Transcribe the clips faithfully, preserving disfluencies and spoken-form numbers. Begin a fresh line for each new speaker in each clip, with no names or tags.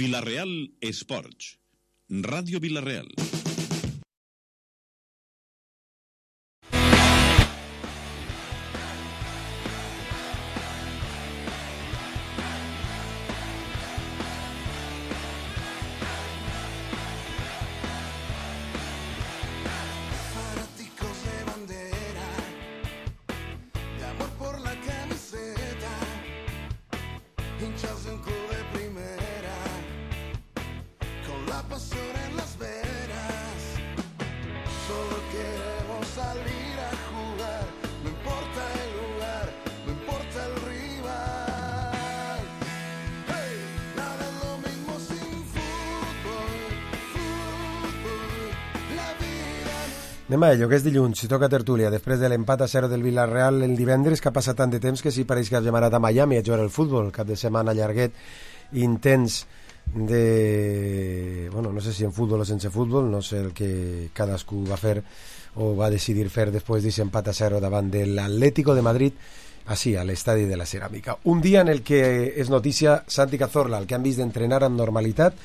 Vila-real Esports. Ràdio Vila-real.
Anem a ello, que és dilluns, si toca tertúlia, després de l'empat a zero del Villarreal el divendres, que ha passat tant de temps que sí pareix que hàgim anat a Miami a jugar al futbol, cap de setmana llarguet, intens de... bueno, no sé si en futbol o sense futbol, no sé el que cadascú va fer o va decidir fer després d'aquest empat a zero davant de l'Atlético de Madrid, així, a l'estadi de la Ceràmica. Un dia en el que és notícia Santi Cazorla, el que han vist d'entrenar amb normalitat,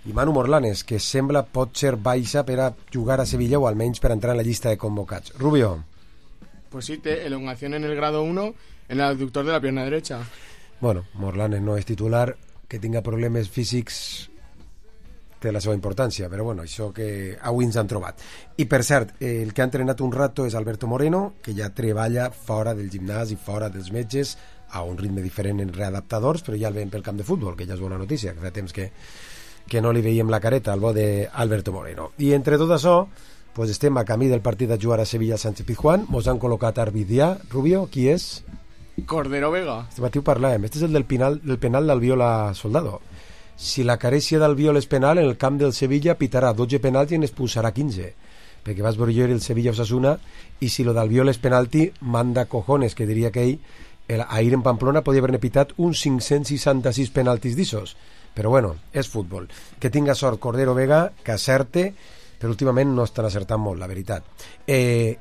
i Manu Morlanes, que sembla pot ser baixa per a jugar a Sevilla o almenys per entrar en la llista de convocats. Rubio.
Pues sí, té elongación en el grado uno en el abductor de la pierna derecha.
Bueno, Morlanes no és titular, que tinga problemes físics té la seva importància, però bueno, això que avui ens han trobat. I per cert, el que ha entrenat un rato és Alberto Moreno, que ja treballa fora del gimnàs i fora dels metges, a un ritme diferent en readaptadors, però ja el veiem pel camp de futbol, que ja és bona notícia, que fa temps que que no li veiem la careta al bo d'Alberto Moreno. I entre tot això, pues estem a camí del partit a jugar a Sevilla Sánchez Pizjuán, mos han col·locat Arbidià. Rubio, qui és?
Cordero Vega.
Este matí ho parlàvem, este és el del penal, del penal d'Albiola Soldado. Si la carència d'Albiol és penal, en el camp del Sevilla pitarà dotze penalti i n'expulsarà quinze, perquè vas veure el Sevilla Osasuna, i si lo d'Albiol és penalti, manda cojones, que diria que ell, el, ahir en Pamplona podia haver-ne pitat uns cinc-cents seixanta-sis penaltis d'issos. Però bueno, és futbol. Que tinga sort Cordero Vega, que acerte, però últimament no estan acertant molt, la veritat. Eh,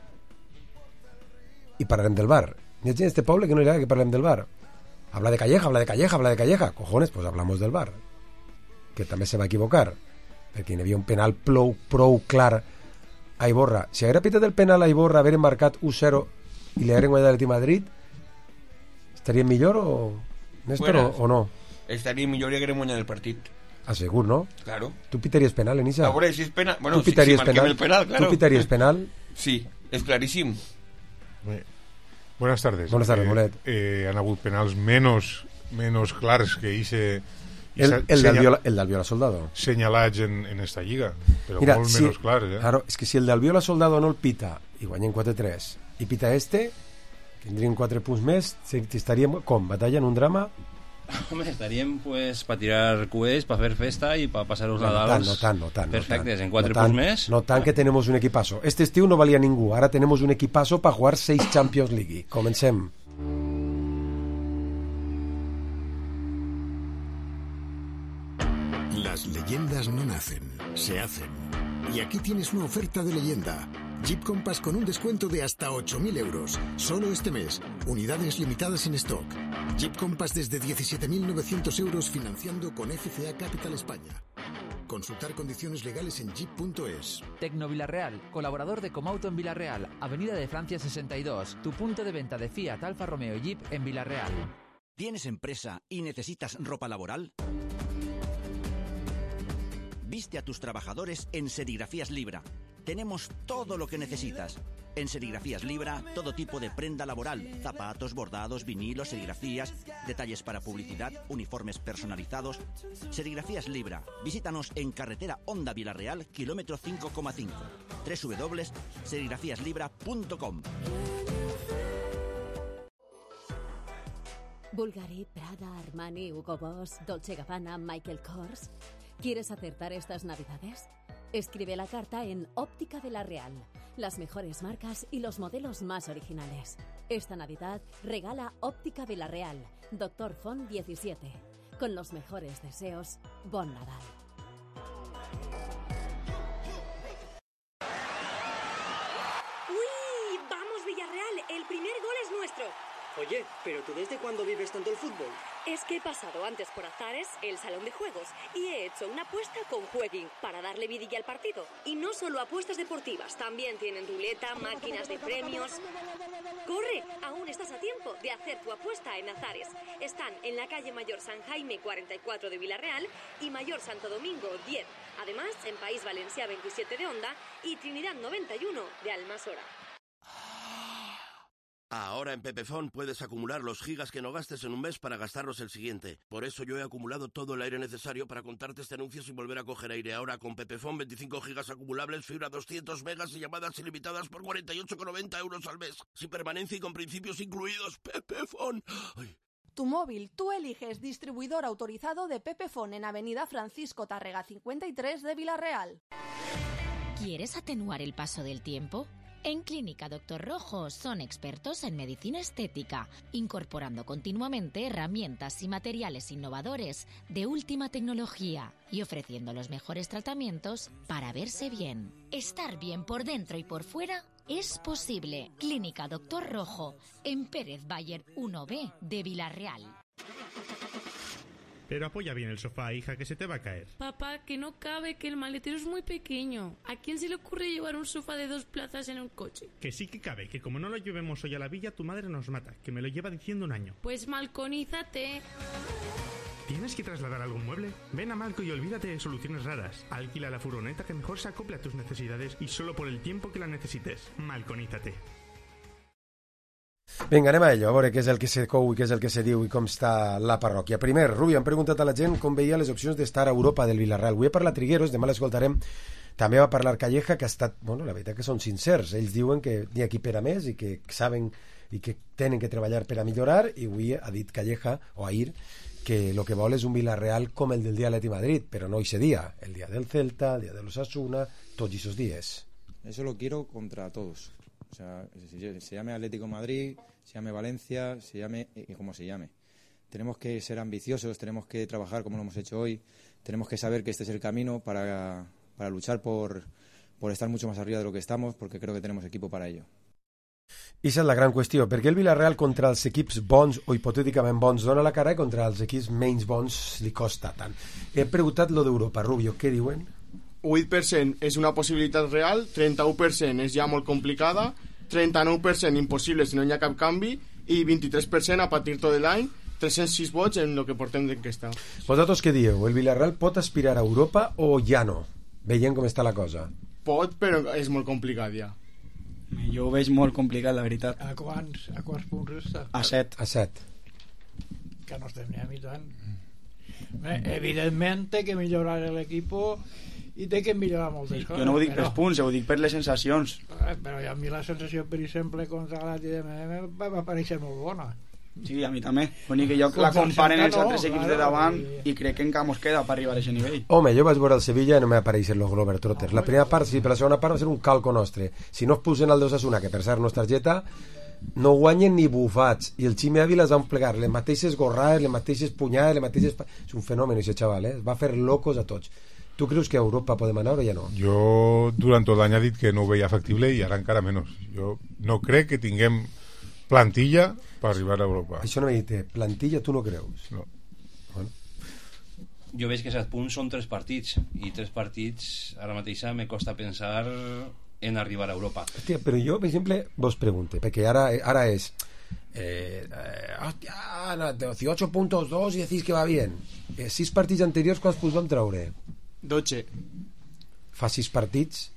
I parlarem del bar. Hi ha gent d'este poble que no li agrada que parlem del bar. Habla de Calleja, habla de Calleja, habla de Calleja. Cojones, pues hablamos del bar. Que també se va equivocar, perquè hi havia un penal prou, prou clar a Iborra. Si haguera pitat el penal a Iborra, haver marcat u zero i li hagueren guanyat l'Atlètic Madrid, estaria millor o, Néstor, o, o no?
Estaria millor i haguem guanyat el partit.
Ah, segur, ¿no?
Claro.
¿Tú pitarías penal, Enisa?
A veure, si és penal... Bueno,
¿Tú pitarías
si, si
penal?
el penal, claro.
¿Tú pitarías penal?
Sí, és claríssim.
Bé. Buenas tardes.
Buenas tardes,
eh,
Molet.
Eh, han hagut penals menos, menos clars que hice...
El, el, del Viola, el del Viola Soldado.
Senyalats en, en esta lliga, però
Mira,
molt
si,
menos clars, eh?
Claro, és que si el del Viola Soldado no el pita i guanyen quatre tres i pita este, tindrien quatre punts més, estaríem, com, batalla en un drama?
Home, estaríem pues para tirar coets, para hacer festa y para pasar los
no,
Nadals
no tant, no tant,
perfectes,
no
en quatre
no tant,
punts més.
No tant que tenemos un equipazo. Este estiu no valia ningú, ara tenemos un equipazo para jugar seis Champions League. Comencem.
Las leyendas no nacen, se hacen. Y aquí tienes una oferta de leyenda. Jeep Compass con un descuento de hasta ocho mil euros. Solo este mes. Unidades limitadas en stock. Jeep Compass desde diecisiete mil novecientos euros financiando con F C A Capital España. Consultar condiciones legales en jeep punto es.
Tecno Villarreal, colaborador de Comauto en Villarreal, Avenida de Francia sesenta y dos, tu punto de venta de Fiat, Alfa Romeo y Jeep en Villarreal.
¿Tienes empresa y necesitas ropa laboral? Viste a tus trabajadores en Serigrafías Libra. Tenemos todo lo que necesitas. En Serigrafías Libra, todo tipo de prenda laboral, zapatos, bordados, vinilos, serigrafías, detalles para publicidad, uniformes personalizados. Serigrafías Libra. Visítanos en carretera Honda Villarreal, kilómetro cinco coma cinco. doble u doble u doble u punto serigrafías libra punto com.
Bulgari, Prada, Armani, Hugo Boss, Dolce Gabbana, Michael Kors. ¿Quieres acertar estas navidades? Escribe la carta en Óptica Villarreal. Las mejores marcas y los modelos más originales. Esta Navidad regala Óptica Villarreal, Doctor Font diecisiete. Con los mejores deseos, Bon Nadal.
¡Uy! ¡Vamos, Villarreal! El primer gol es nuestro. Oye, ¿pero tú desde cuándo vives tanto el fútbol?
Es que he pasado antes por Azares, el salón de juegos, y he hecho una apuesta con Jueguin para darle vidilla al partido. Y no solo apuestas deportivas, también tienen ruleta, máquinas de premios. ¡Corre! Aún estás a tiempo de hacer tu apuesta en Azares. Están en la calle Mayor San Jaime cuarenta y cuatro de Villarreal y Mayor Santo Domingo diez. Además, en País Valencià veintisiete de Onda y Trinidad noventa y uno de Almasora.
Ahora en Pepefon puedes acumular los gigas que no gastes en un mes para gastarlos el siguiente. Por eso yo he acumulado todo el aire necesario para contarte este anuncio sin volver a coger aire. Ahora con Pepefon, veinticinco gigas acumulables, fibra doscientos megas y llamadas ilimitadas por cuarenta y ocho con noventa euros al mes. Sin permanencia y con principios incluidos. Pepefon. Ay.
Tu móvil, tú eliges distribuidor autorizado de Pepefon en Avenida Francisco Tárrega cincuenta y tres de Villarreal.
¿Quieres atenuar el paso del tiempo? En Clínica Doctor Rojo son expertos en medicina estética, incorporando continuamente herramientas y materiales innovadores de última tecnología y ofreciendo los mejores tratamientos para verse bien. Estar bien por dentro y por fuera es posible. Clínica Doctor Rojo, en Pérez Bayer uno B de Villarreal.
Pero apoya bien el sofá, hija, que se te va a caer.
Papá, que no cabe, que el maletero es muy pequeño. ¿A quién se le ocurre llevar un sofá de dos plazas en un coche?
Que sí que cabe, que como no lo llevemos hoy a la villa, tu madre nos mata, que me lo lleva diciendo un año.
Pues malconízate.
¿Tienes que trasladar algún mueble? Ven a Malco y olvídate de soluciones raras. Alquila la furgoneta que mejor se acople a tus necesidades y solo por el tiempo que la necesites. Malconízate.
Vinga, anem a ello, a veure què és el que se cou i què és el que se diu i com està la parròquia. Primer, Rubi, han preguntat a la gent com veia les opcions d'estar a Europa del Villarreal. Avui ha parlat Trigueros, demà l'escoltarem. També va parlar Calleja, que ha estat, bueno, la veritat que són sincers. Ells diuen que n'hi ha qui per a més i que saben i que tenen que treballar per a millorar, i avui ha dit Calleja, o Ahir, que lo que vol és un Villarreal com el del dia Atleti Madrid, però no ese día, el día del Celta, el día de los Osasuna, tots esos días.
Eso lo quiero contra todos. O sea, se llame Atlético Madrid, se llame Valencia, se llame y como se llame. Tenemos que ser ambiciosos, tenemos que trabajar como lo hemos hecho hoy, tenemos que saber que este es el camino para, para luchar por, por estar mucho más arriba de lo que estamos, porque creo que tenemos equipo para ello.
I esa és la gran qüestió. Per què el Villarreal contra els equips bons o hipotèticament bons dona la cara i contra els equips menys bons li costa tant? He preguntat lo d'Europa. Rubio, què diuen?
vuit per cent és una possibilitat real, trenta-u per cent és ja molt complicada, trenta-nou per cent impossible si no hi ha cap canvi i vint-i-tres per cent a partir tot l'any, tres-cents sis vots en el que portem d'enquesta.
Vosaltres què dieu? El Villarreal pot aspirar a Europa o ja no? Veient com està la cosa.
Pot, però és molt complicat ja.
Jo ho veig molt complicat, la veritat.
A quants, a quants punts està?
A set.
A set.
Que no estem ni a mitjan. Bé, evidentment té que millorar l'equip i té que millorar moltes coses.
Jo no ho dic
però...
pels punts, ho dic per les sensacions.
Però a mi la sensació, per exemple, contra l'Atleti de Madrid va aparèixer molt bona.
Sí, a mi també. L'únic que jo la comparen els altres equips de davant i crec que encara mos queda per arribar a aquest nivell.
Home, jo vaig veure el Sevilla i no m'ha apareixen los Globetrotters. La primera part sí, però la segona part va ser un calco nostre. Si no es pusen al d'Osasuna, que per cert no és targeta, no guanyen ni bufats. I el Ximi Ávila es van plegar les mateixes gorrades, les mateixes punyades, les mateixes... És un fenomen, aquest xaval, eh? Es va fer locos a tots. Tu creus que a Europa podem anar o ja no?
Jo durant tot l'any he dit que no ho veia factible i ara encara menys. Jo no crec que tinguem plantilla per arribar a Europa.
Això no m'ha dit, plantilla tu no creus?
No.
Bueno.
Jo veig que set punts són tres partits i tres partits ara mateix me costa pensar en arribar a Europa.
Hòstia, però jo, per exemple, vos pregunte, perquè ara, ara és eh, eh, hòstia, no, dieciocho puntos dos i decís que va bien. Eh, sis partits anteriors, quants punts vam treure?
dotze.
Fa sis partits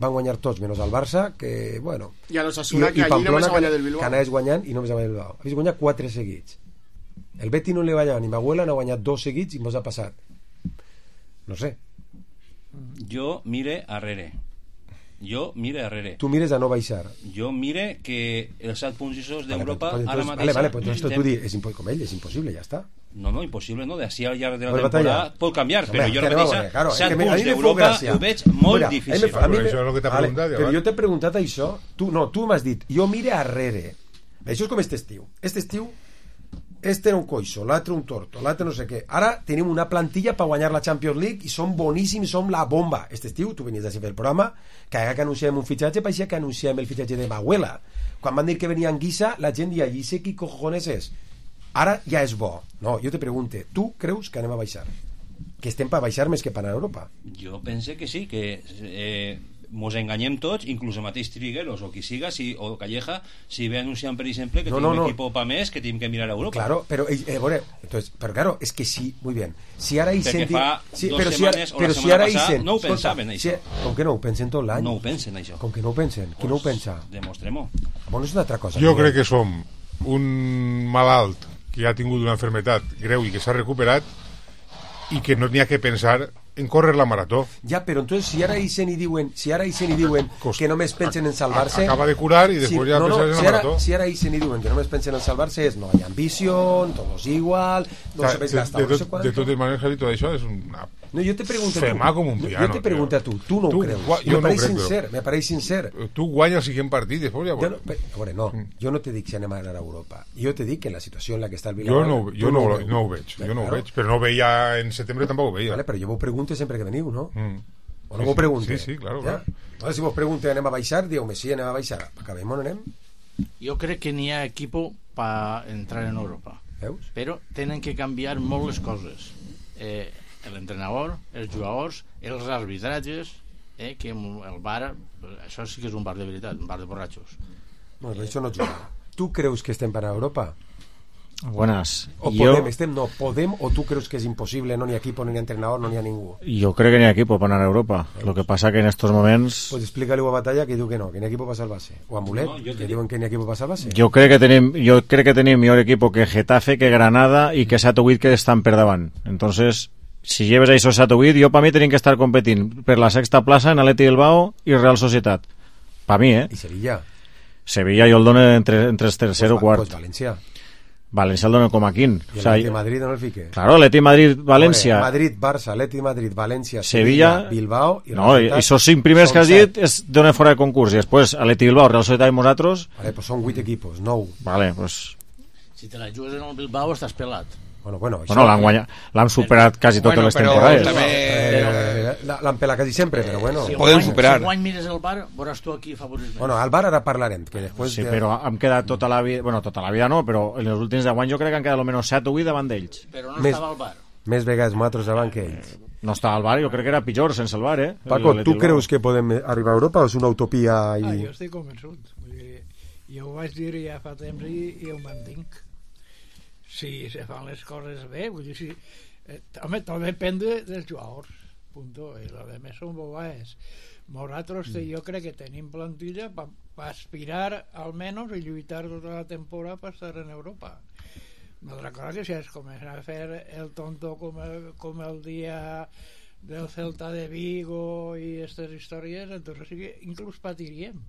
van guanyar tots, menys el Barça, que, bueno...
I a l'Osasuna, que allí només ha guanyat el Bilbao.
Que anaves guanyant i només ha guanyat el Bilbao. Habéis guanyat quatre seguits. El Betis no li va guanyar, ni Maguela n'ha guanyat dos seguits i mos ha passat. No sé.
Jo mire arrere. Jo mire arrere.
Tu mires a no baixar.
Jo mire que els set punts isos d'Europa
vale,
ara mateix...
Vale, vale, pues entonces tu di, és impo com ell, és impossible, ja està.
No, no, impossible, no, d'ací al llarg de la temporada pot canviar, però jo
mateixa
claro, set punts d'Europa ho veig molt Mira, difícil.
A mi, a mi, això és el que t'ha
vale,
preguntat.
Però jo t'he preguntat això, tu no, tu m'has dit, jo mire arrere. Això és com este estiu. Este estiu, este era un coixo, l'altre un torto, l'altre no sé què. Ara tenim una plantilla per guanyar la Champions League i som boníssims, som la bomba. Este estiu, tu venies a fer el programa, que ara que anunciem un fitxatge, pareixia que anunciem el fitxatge de Maguela. Quan van dir que venia Anguissa, la gent deia, i sé qui cojones és? Ara ja és bo. No, jo te pregunte, tu creus que anem a baixar? Que estem per baixar més que per anar a Europa?
Jo pense que sí, que eh, mos enganyem tots, inclús el mateix Trigueros o qui siga, si, o Calleja, si ve anunciant, per exemple, que
no,
tenim
no, no.
equipo pa més, que tenim que mirar a Europa.
Claro, pero eh, eh, bueno, entonces, pero claro, es que sí, muy bien. Si ara
Perquè
Isen...
fa
sí,
dos
però
setmanes
si ara,
o la
però
setmana
si ara
passada
Isen,
no ho
escolta,
pensaven, això.
Si, com que no ho pensen tot l'any?
No ho pensen, això.
Com que no ho pensen? Qui no ho pensa?
Demostrem-ho.
Bueno, és una altra cosa.
Jo crec que som un malalt que ha tingut una enfermetat greu i que s'ha recuperat i que no n'hi ha que pensar en córrer la marató.
Ja, però entonces si ara Isen i diuen, si ara Isen i diuen que només pensen en salvar-se,
acaba de curar y después
si,
ya
no, no,
pensar en la
si ara,
marató.
si ara Isen i diuen que només pensen en salvar-se és no hi ha ambició, todos igual, no
O sea,
se ves
de,
gastar,
de,
no sé
tot,
cuánto.
de totes maneres, Javi, tot això és una
No, jo te pregunto
fema
tu.
com un piano.
Jo te pregunto a tu, tu no
Tu
ho creus.
gua- jo
me
no ho
pareix
crec,
sincer,
però-
me pareix sincer.
Tu guanyes el siguiente partit, després ja...
Jo no, pe- a veure, no, jo no te dic si anem a anar a Europa. Jo te dic que en la situació en la que està el
Jo
Villarreal...
no, jo
tu
no,
ho
no,
veus.
no ho veig, jo no ho
Claro.
veig, però no ho veia en setembre, tampoc ho veia.
Vale, però jo vos pregunto sempre que veniu, no?
Mm.
O no
Sí,
vos
sí,
pregunte?
sí, sí, claro,
Ja?
claro.
Entonces, si vos pregunte anem a baixar, diu-me sí, anem a baixar. Acabem on anem?
Jo crec que n'hi ha equipo per entrar en Europa.
Veus?
Però tenen que canviar molt les coses. Eh, l'entrenador, els jugadors, els arbitratges, eh, que el bar, això sí que és un bar de veritat, un bar de borratxos.
No, però això no juga. Tu creus que estem per a Europa?
Buenas.
O
Yo,
podem, estem, no, podem, o tu creus que és impossible, no n'hi ha equipo, no n'hi ha entrenador, no n'hi ha ningú?
yo creo que ni hay equipo para ganar Europa. Lo que pasa que en estos momentos
Pues explícale a Batalla que diu que no, que n'hi ha equipo per salvar-se. O a Mulet,
No, jo
que
te
diuen que n'hi ha equipo per salvar-se.
yo creo que tenim yo creo que tenim mejor equipo que Getafe, que Granada y que Satowitt, que están per davant. Entonces, si lleves a esos Satowitt, yo para mí tienen que estar competiendo per la sexta plaza en Atleti Bilbao y Real Sociedad. Para mí, ¿eh?
I Sevilla.
Sevilla yo el dono entre, entre tercero o
Pues,
cuarto.
pues València.
Valencia el dono com a quin.
I
O sea,
l'Atleti Madrid no el fique.
claro, Atleti Madrid, Valencia.
Madrid, Barça, Atleti Madrid, València,
Sevilla,
Sevilla, Bilbao i
no,
Real
esos cinc primers
Són
que has
set.
dit es donen fora de concurs i després Atleti Bilbao, Real Sociedad i nosaltres,
Vale, pues són vuit equipos, nou.
vale, pues
Si te la jugues en el Bilbao estàs pelat.
Bueno, bueno,
bueno, l'han guanyat, l'han superat quasi totes
Bueno,
les
però
temporades.
també-
Eh, la- l'han pelat quasi sempre, però bueno.
Si
Podem
guany-
superar.
Si guany mires el bar, veuràs tu aquí favorit.
Bueno, al bar ara parlarem, que després...
Sí,
de-
però hem quedat tota la vida, bueno, tota la vida no, però en els últims deu anys jo crec que han quedat almenys set o vuit davant d'ells.
Però no
Més-
estava al bar.
Més vegades nosaltres davant que ells.
No estava al bar, jo crec que era pitjor sense el bar, eh?
Paco,
El
tu
Atleti
creus que podem arribar a Europa o és una utopia? I...
Ah, jo estic convençut. Vull dir, jo ho vaig dir ja fa temps i, i ho mantinc. Si se fan les coses bé, vull dir, si, eh, home, tot depèn de, dels jugadors, punto, i lo demés són bobades. Nosaltres mm. jo crec que tenim plantilla per pa aspirar almenys i lluitar tota la temporada per estar en Europa. Una altra cosa que si es comença a fer el tonto com el, com el dia del Celta de Vigo i aquestes històries, entonces sí que inclús patiríem.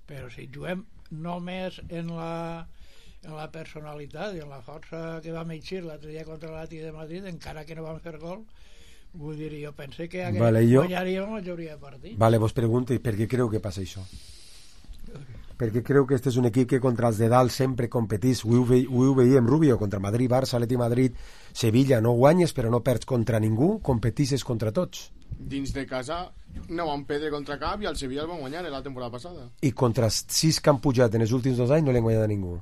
Però si juguem només en la en la personalitat i en la força que vam eixir l'altre dia contra l'Atleti de Madrid, encara que no vam fer gol, vull dir, jo pensé que
Vale, jo-
guanyaríem la majoria de partits.
Vale, vos pregunto, i per què creu que passa això? Perquè creu que este és un equip que contra els de dalt sempre competís, ho, ve, ho veiem Rubio, contra Madrid, Barça, Atleti Madrid, Sevilla, no guanyes però no perds contra ningú, competisses contra tots.
Dins de casa no van perdre contra cap i el Sevilla el van guanyar la temporada passada.
I contra els sis que han pujat en els últims dos anys no li han guanyat a ningú.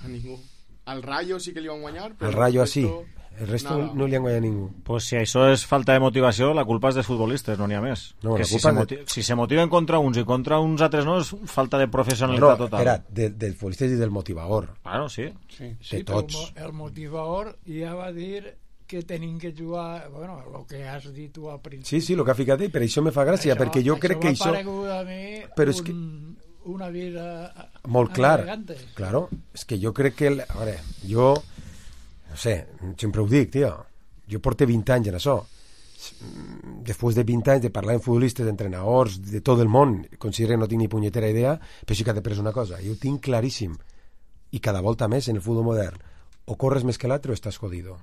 A ningú. Al Rayo sí que li van guanyar, però
El Rayo
el
así,
resto,
el resto
nada.
no li han guanyat a ningú.
Pues si això és falta de motivació, la culpa és dels futbolistes, no n'hi ha més.
No,
que
la
si,
culpa
se
de-
moti si se motiven contra uns i contra uns altres no, és falta de
No,
professionalitat total.
espera, de, dels futbolistes i del motivador.
Claro, sí.
Sí,
de
però
tots.
el mo- el motivador ja va dir que tenim que jugar, bueno, el que has dit tu al principi.
Sí, sí, el que ha ficat ell, per això me fa gràcia, perquè jo crec que
això
això...
m'ha paregut a mi
Però
un,
és que...
una vida
Molt clar,
elegante.
claro, és que jo crec que el, a veure, jo no sé, sempre ho dic, tio, jo porto vint anys en això, després de vint anys de parlar amb futbolistes, d'entrenadors de tot el món, considero que no tinc ni punyetera idea, però sí que t'he pres una cosa, jo ho tinc claríssim, i cada volta més en el futbol modern, o corres més que l'altre o estàs jodido,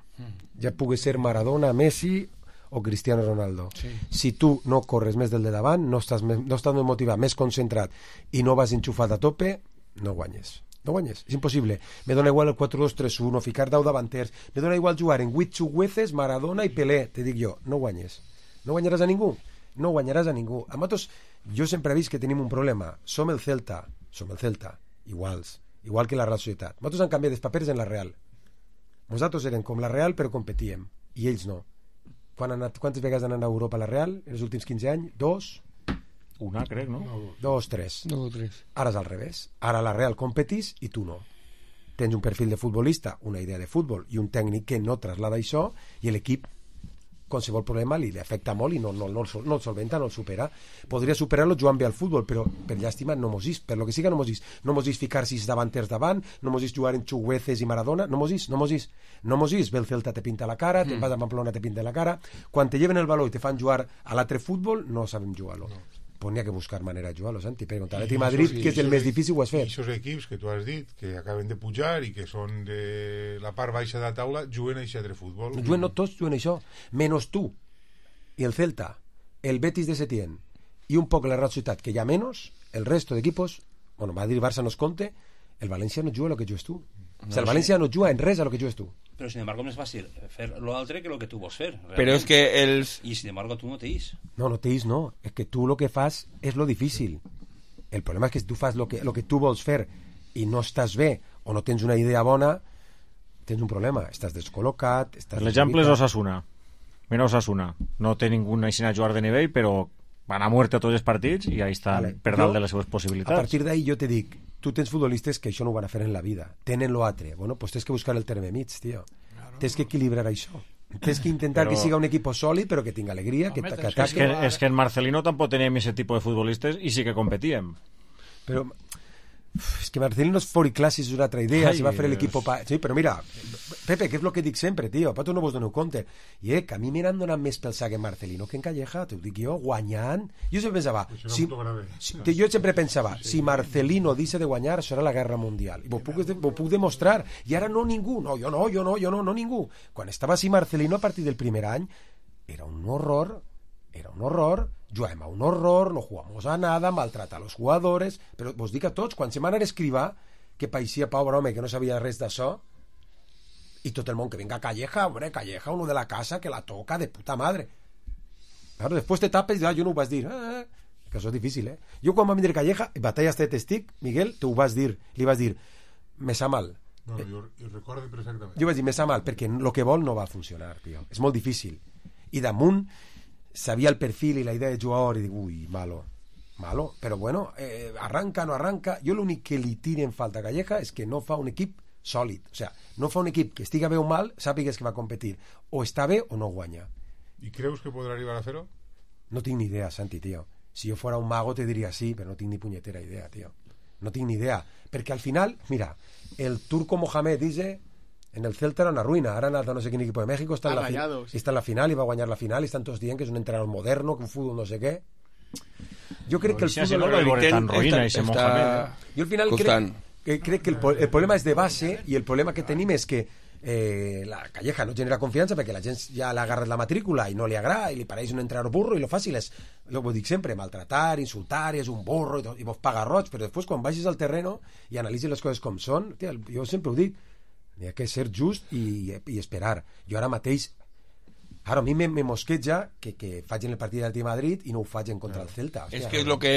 ja pugui ser Maradona, Messi o Cristiano Ronaldo.
Sí.
Si tu no corres més del de davant, no estàs, més, no estàs més motivat, més concentrat i no vas enxufat a tope, no guanyes. No guanyes, és impossible. Me dona igual el quatre dos tres uno, ficar deu davanters, me dona igual jugar en vuit xugueces, Maradona i Pelé, te dic jo, no guanyes. No guanyaràs a ningú, no guanyaràs a ningú. A nosaltres, jo sempre he vist que tenim un problema. Som el Celta, som el Celta, iguals, igual que la Real Societat. Nosaltres han canviat els papers en la Real. Nosaltres érem com la Real però competíem, i ells no. Quan han anat, quantes vegades han anat a Europa a la Real en els últims quinze anys? Dos?
Una, crec, no?
Dos, tres.
Dos o tres.
Ara és al revés. Ara la Real competís i tu no. Tens un perfil de futbolista, una idea de futbol i un tècnic que no traslada això i l'equip qualsevol problema li afecta molt i no, no, no, no el solventa, no el supera. Podria superar-lo jugant bé al futbol, però per llàstima no mos is, per lo que siga no mos is. No mos is ficar sis davanters davant, no mos is jugar en Chugueces i Maradona, no mos is, no mos is. No mos is, ve el Celta te pinta la cara, mm. te'n vas a Pamplona te pinta la cara. Quan te lleven el baló i te fan jugar a l'altre futbol, no sabem jugar-lo. No. Pues n'hi ha que buscar manera de jugar-lo, Santi. Per contra l'Atlètic Madrid, que és el més difícil, ho has fet.
I aquests equips que tu has dit, que acaben de pujar i que són de la part baixa de la taula, juguen a aquest altre futbol.
Juguen, no tots juguen això, menys tu i el Celta, el Betis de Setién i un poc la Real Societat, que hi ha menys, el resto d'equipos, bueno, Madrid i Barça no es compte, el València no juga a lo que jugues tu. No, o sea, el València no juga en res a lo que jugues tu.
Pero sin embargo es más fácil hacer lo altre que lo que tú vas a hacer.
Pero es que el...
Y sin embargo tú no te is.
No, no te is, no. Es que tú lo que fas es lo difícil. El problema es que si tú fas lo que, lo que tu vols fer i no estàs bé o no tens una idea bona, tens un problema. Estàs descol·locat...
L'exemple és Osasuna. Mira Osasuna. No té ningú així a jugar de nivell, però van a muerte a tots els partits i ahí estan vale. Per dalt de les seves possibilitats.
A partir d'ahí jo te dic, tu tens futbolistes que això no ho van a fer en la vida, tenen lo altre, bueno, pues tens que buscar el terme mig, tio, claro. Tens que equilibrar això, tens que intentar però... que siga un equip sòlid però que tinga alegria, que, que ataque.
És que, és que en Marcelino tampoc teníem aquest tipus de futbolistes i sí que competíem,
però és que Marcelino és fora classe, és una altra idea. Ai, si va fer l'equip pa... sí, però mira, Pepe, que és el que dic sempre, tio, pa tu no vos doneu compte, i eh, que a mi m'han donat més pel sac en Marcelino que en Calleja, t'ho dic jo, guanyant. Jo sempre pensava, si, si, jo sempre pensava, sí. Si Marcelino deixa de guanyar, serà la guerra mundial, i vos puc, vos puc demostrar, i ara no ningú, no, jo no, jo no, jo no, no ningú. Quan estava així Marcelino a partir del primer any, era un horror, era un horror, jugàvem a un horror, no jugamos a nada, maltrata a los jugadores, però vos dic a tots, quan se m'han escrivar que paeixia pobre home que no sabia res d'això, i tot el món que venga Calleja, hombre, Calleja, uno de la casa que la toca de puta madre. Claro, després te tapes i ah, jo no ho vas dir, eh, que això és difícil, eh? Jo quan va vindre Calleja, en batalla este testic, Miguel, tu ho vas dir, li vas dir, me sa mal.
No, jo, jo recordo perfectament.
Jo vaig dir, me sa mal, perquè el que vol no va funcionar, tio. És molt difícil. I damunt sabia el perfil i la idea de jugador i dic, ui, malo, malo, però bueno, eh, arranca, no arranca. Jo l'únic que li tira en falta a Calleja és que no fa un equip sòlid, o sea, no fa un equip que estiga bé o mal, sàpigues que va competir, o està bé o no guanya.
I creus que podrà arribar a fer-ho?
No tinc ni idea, Santi, tio. Si jo fora un mago te diria sí, però no tinc ni punyetera idea, tio. No tinc ni idea, perquè al final, mira, el turco Mohamed dice en el Celta era una ruïna, ara ha anat a no sé quin equip de México, està en, la fi- està en la final i va guanyar la final i estan tots dient que és un entrenador moderno, que un futbol no sé què. Jo crec no, que el futbol...
No lo veure tan ruïna, ese Mohamed.
Jo al final crec, que, crec que el, el problema és de base i el problema que tenim és que eh, la Calleja no genera confiança perquè la gent ja l'ha agarrat la matrícula i no li agrada i li pareix un entrenador burro i lo fàcil és, lo ho dic sempre, maltratar, insultar, és un burro i, tot, i vos paga roig, però després quan vagis al terreno i analitzis les coses com són, tia, jo sempre ho dic, n'hi ha que ser just i, i esperar. Jo ara mateix, ara a mi me, me mosqueja que, que faig en el partit del Madrid i no ho faig en contra del Celta. Hòstia,
es que és lo que...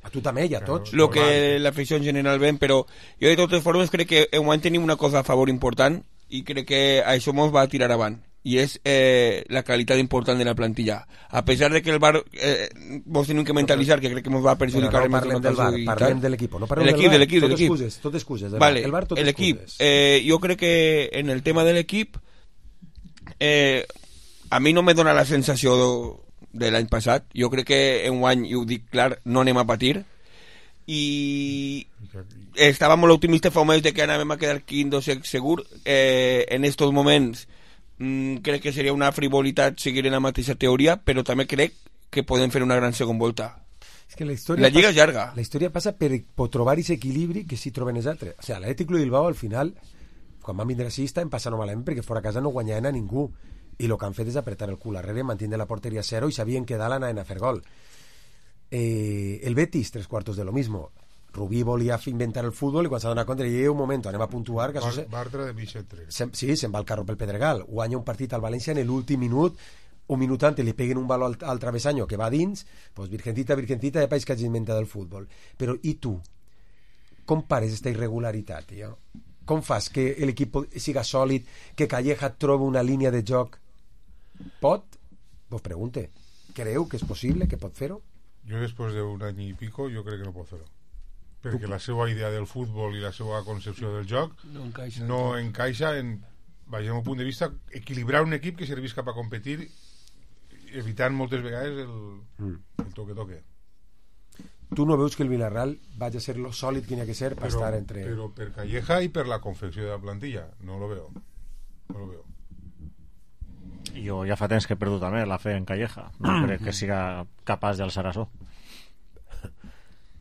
A tu també i a tots.
Lo que la afició en general ven, però jo de totes formes crec que en moment tenim una cosa a favor important i crec que a això mos va a tirar avant i és eh, la qualitat important de la plantilla. A pesar de que el Bar eh, vos tenim que mentalitzar que crec que mos va a perjudicar
no parlem del Bar, parlem de l'equip, no parlem
del
Bar,
de l'equip,
tot
de l'equip.
excuses, tot excuses,
vale,
el Bar tot
el equip,
excuses.
Eh, jo crec que en el tema de l'equip eh, a mi no me dona la sensació de, de l'any passat. Jo crec que en un any, i ho dic clar, no anem a patir i estava molt optimista fa un mes de que anàvem a quedar quinto segur. Eh, en estos moments mm, crec que seria una frivolitat seguir en la mateixa teoria, però també crec que podem fer una gran segon volta.
És que la història
la lliga
passa,
és llarga.
La història passa per, per trobar aquest equilibri que si troben els altres. O sigui, l'Atlètic Club de Bilbao al final, quan van vindre així, estaven passant malament perquè fora a casa no guanyaven a ningú i el que han fet és apretar el cul darrere, mantindre la porteria a zero i sabien que dalt anaven a fer gol. Eh, el Betis, tres cuartos de lo mismo. Rubí volia inventar el futbol i quan s'ha donat compte i un moment, anem a puntuar que
Bar
se...
Bartra de Michetre
se... sí, se'n va el carro pel Pedregal, guanya un partit al València en l'últim minut, un minut antes li peguen un baló al, al travesaño que va dins, pues virgencita, virgencita de país que hagi inventat el futbol. Però i tu? com pares aquesta irregularitat, tio? Com fas que l'equip siga sòlid, que Calleja trobi una línia de joc? Pot? Vos pregunte. Creu que és possible, que pot fer-ho?
Jo després d'un any i pico jo crec que no pot fer-ho, perquè la seva idea del futbol i la seva concepció del joc
no encaixa,
no encaixa en, vaja, un punt de vista, equilibrar un equip que servís cap a competir, evitant moltes vegades el,
mm.
el toque-toque.
Tu no veus que el Villarreal vagi a ser lo sòlid que n'hi ha que ser per
però,
estar entre...
Però per Calleja i per la confecció de la plantilla no lo veo, no lo veo.
Jo ja fa temps que he perdut també la fe en Calleja, no crec que siga capaç d'alçar això.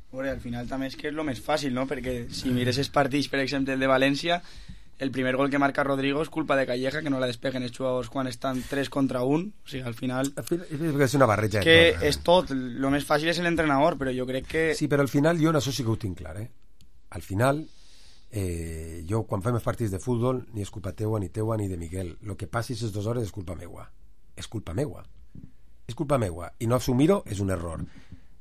Bueno, al final també és que és el més fàcil, no? Perquè si mires els partits, per exemple el de València, el primer gol que marca Rodrigo és culpa de Calleja, que no la despeguen els jugadors quan estan tres contra un. O sigui, al final...
És una barreja.
És que és tot, el més fàcil és l'entrenador, però jo crec que...
Sí, però al final jo en això sí que ho tinc clar, eh? Al final, eh, jo quan fem els partits de futbol, ni és culpa teua, ni teua, ni de Miguel. Lo que passi aquestes dues hores és culpa meua. És culpa meua. És culpa meua. I no assumir-ho és un error.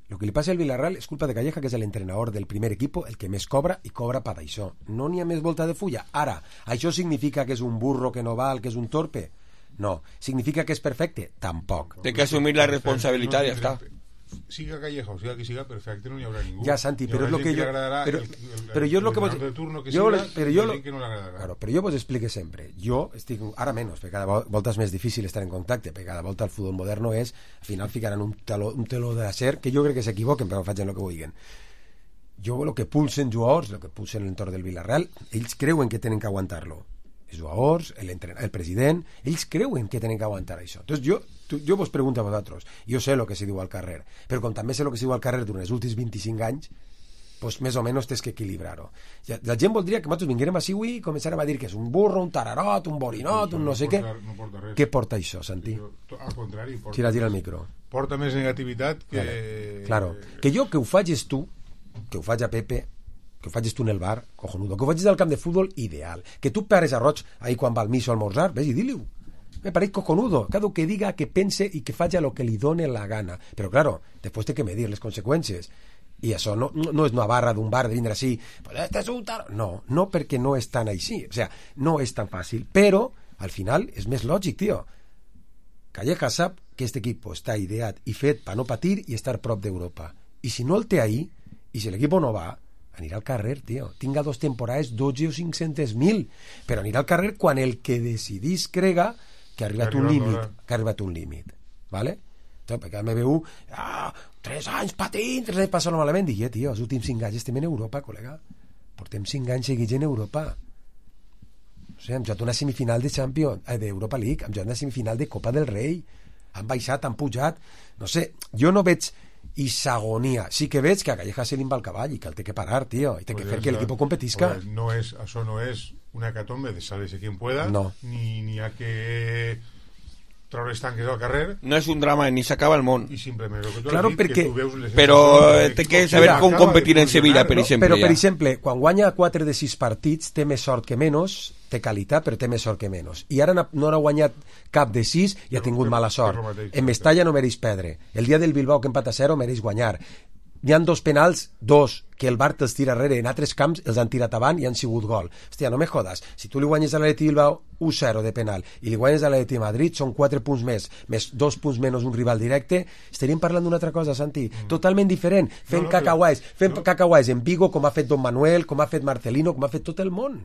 Lo que li passa al Villarreal és culpa de Calleja, que és l'entrenador del primer equip, el que més cobra, i cobra per això. No n'hi ha més volta de fulla. Ara, això significa que és un burro que no val, que és un torpe? No. Significa que és perfecte? Tampoc.
Té que assumir la responsabilitat, ja està.
Siga Calleja o siga qui siga perfecte, no hi haurà ningú.
Ja, Santi, però és lo que jo... Però, però jo és lo que vos... Jo, però jo, claro, però jo vos explique sempre. Jo estic, ara menys, perquè cada volta és més difícil estar en contacte, perquè cada volta el futbol moderno és, al final ficaran un teló, un teló d'acer, que jo crec que s'equivoquen, però facin el que vulguin. Jo el que pulsen jugadors, el que pulsen l'entorn del Villarreal, ells creuen que tenen que aguantar-lo. Els jugadors, el, el president, ells creuen que tenen que aguantar això. Entonces jo, tu, jo vos pregunto a vosaltres, jo sé el que se diu al carrer, però com també sé el que se diu al carrer durant els últims vint-i-cinc anys, pues més o menys tens que equilibrar-ho. Ja, la gent voldria que nosaltres vinguérem així avui i començarem a dir que és un burro, un tararot, un borinot, un no sé què.
No porta res.
Què porta això, Santi?
Al contrari, porta,
tira, tira el micro.
Porta més negativitat que...
Claro. claro. Que jo que ho faig tu, que ho faig a Pepe, que ho facis tu en el bar, cojonudo, que ho facis al camp de futbol, ideal, que tu pares a Roig ahí quan va al miso a almorzar, ves i dili-ho, me pareix cojonudo, cada que diga, que pense i que faci lo que li done la gana, però claro, després té que medir les conseqüències, i això no, no, no és una barra d'un bar de vindre així, pues este és un tar... no, no perquè no és tan així, o sea, no és tan fàcil, però al final és més lògic, tio. Calleja sap que este equip està ideat i fet per no patir i estar prop d'Europa, i si no el té ahí, i si l'equip no va, anirà al carrer, tio. Tinga dos temporades dotze o cinc-cents mil, però anirà al carrer quan el que decidís crega que ha arribat un límit, que ha arribat un límit, ¿vale? Entonces, perquè me veu, ah, tres anys patint, tres anys passant malament, dic, eh, tio, els últims cinc anys estem en Europa, col·lega. Portem cinc anys seguits en Europa. O sigui, hem jugat una semifinal de Champions, eh, d'Europa League, hem jugat una semifinal de Copa del Rei, han baixat, han pujat, no sé, jo no veig i s'agonia. Sí que veig que a Calleja se li va el cavall i que el té que parar, tio, i té que fer que l'equip competisca.
No és, això no és una hecatombe de sálvese quien pueda,
no.
ni, ni ha que treure els tanques al carrer.
No és un drama, ni s'acaba el món.
I simplement el que tu
claro,
has dit,
perquè...
que tu veus les
però té que saber com competir en Sevilla, per exemple.
Però, per
ja.
exemple, quan guanya quatre de sis partits, té més sort que menys, té qualitat, però té més sort que menys. I ara no ha guanyat cap de sis i ha tingut mala sort. En Mestalla no mereix perdre. El dia del Bilbao, que empata a zero, mereix guanyar. Hi han dos penals, dos, que el Bar te'ls tira darrere, en altres camps els han tirat avant i han sigut gol. Hòstia, no me jodas, si tu li guanyes a l'Atleti Bilbao u zero de penal i li guanyes a l'Atleti Madrid, són quatre punts més, més dos punts menys un rival directe, estaríem parlant d'una altra cosa, Santi, mm. totalment diferent, fent no, no, cacahuais, fent no. cacahuais en Vigo, com ha fet Don Manuel, com ha fet Marcelino, com ha fet tot el món.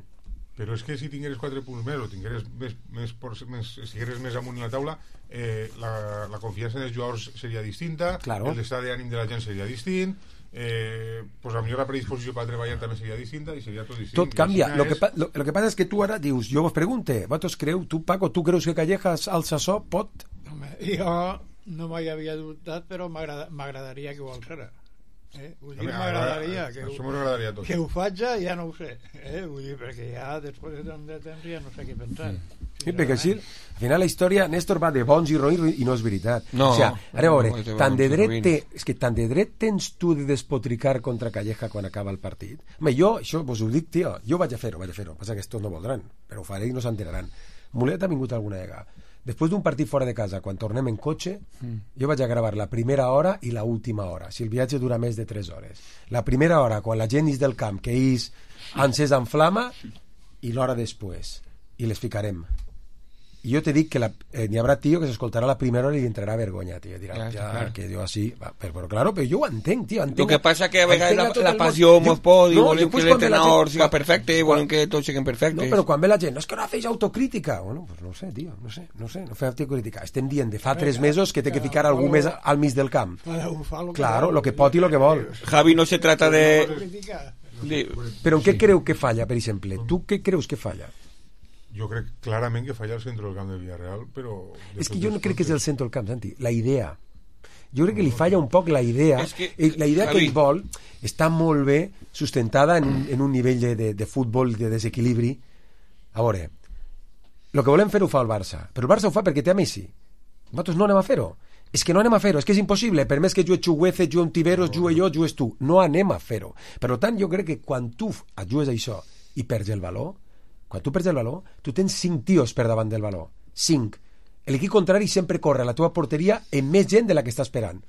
Però és que si tingueres quatre punts més o tingueres més, més, més, estigueres més amunt en la taula, eh, la, la confiança dels jugadors seria distinta,
claro.
El estat d'ànim de la gent seria distint, eh, pues a millor la predisposició per treballar també seria distinta i seria tot distint.
Tot canvia. Lo
és...
que, lo, lo que passa és que tu ara dius, jo vos pregunte, vosaltres creu, tu Paco, tu creus que Calleja al Sassó pot?
Home, jo no m'hi havia dubtat, però m'agradaria que ho alçara. Eh? Vull dir, m'agradaria que, ho, que ho faig ja no ho sé, eh? Vull dir, perquè ja després de tant de temps ja no sé què pensar.
Sí, perquè així, al final la història, Néstor, va de bons i roïns i no és veritat.
No,
o sigui, ara a veure,
no,
tant de dret té, és que tant de dret tens tu de despotricar contra Calleja quan acaba el partit. Home, jo, això vos ho dic, tio, jo vaig a fer-ho, vaig a fer-ho, passa que estos no voldran, però ho faré i no s'enteraran. Mulet ha vingut alguna vegada. després d'un partit fora de casa, quan tornem en cotxe,
Mm.
jo vaig a gravar la primera hora i la última hora, si el viatge dura més de tres hores. La primera hora, quan la gent és del camp, que és encès en flama, i l'hora després. I les ficarem. I jo te dic que la, eh, n'hi haurà tio que s'escoltarà la primera hora i li entrarà vergonya, tio. Dirà,
Ja,
ja,
clar.
que jo així... Va, però, però, claro, però jo ho entenc, tio. Entenc,
Lo que passa que a vegades
entenc
la,
tot
la
el món.
passió mos pot i
no,
volem
jo, pues,
que
quan ve la
l'entrenador
gent-
siga perfecte i volem que tots siguin perfectes.
No, però quan ve la gent, no és que no fes autocrítica. Bueno, pues no sé, tio, no sé, no sé, no fer autocrítica. Estem dient de fa tres mesos que té que ficar algú més al mig del camp. Claro, lo que pot i lo que vol.
Javi, no se trata de... de...
Però en què creu que falla, per exemple? Tu què creus que falla?
Jo crec clarament que falla el centre del camp de Villarreal, però...
És que jo no crec que és el centre del camp, Santi, la idea. Jo crec que li falla un poc la idea.
És que,
Eh, la idea que
Javi.
ell vol està molt bé sustentada en, un- en un nivell de, de, de futbol, de desequilibri. A veure, el que volem fer ho fa el Barça, però el Barça ho fa perquè té a Messi. Nosaltres no anem a fer-ho. És que no anem a fer-ho, és que és impossible. Per més que jugue Chuguece, jugue Tiberos, jugue jo, jugues tu. No anem a fer-ho. Per tant, jo crec que quan tu et jugues això i perds el valor, quan tu perds el valor, tu tens cinc tios per davant del valor. Cinc. L'equip contrari sempre corre a la teva porteria amb més gent de la que està esperant.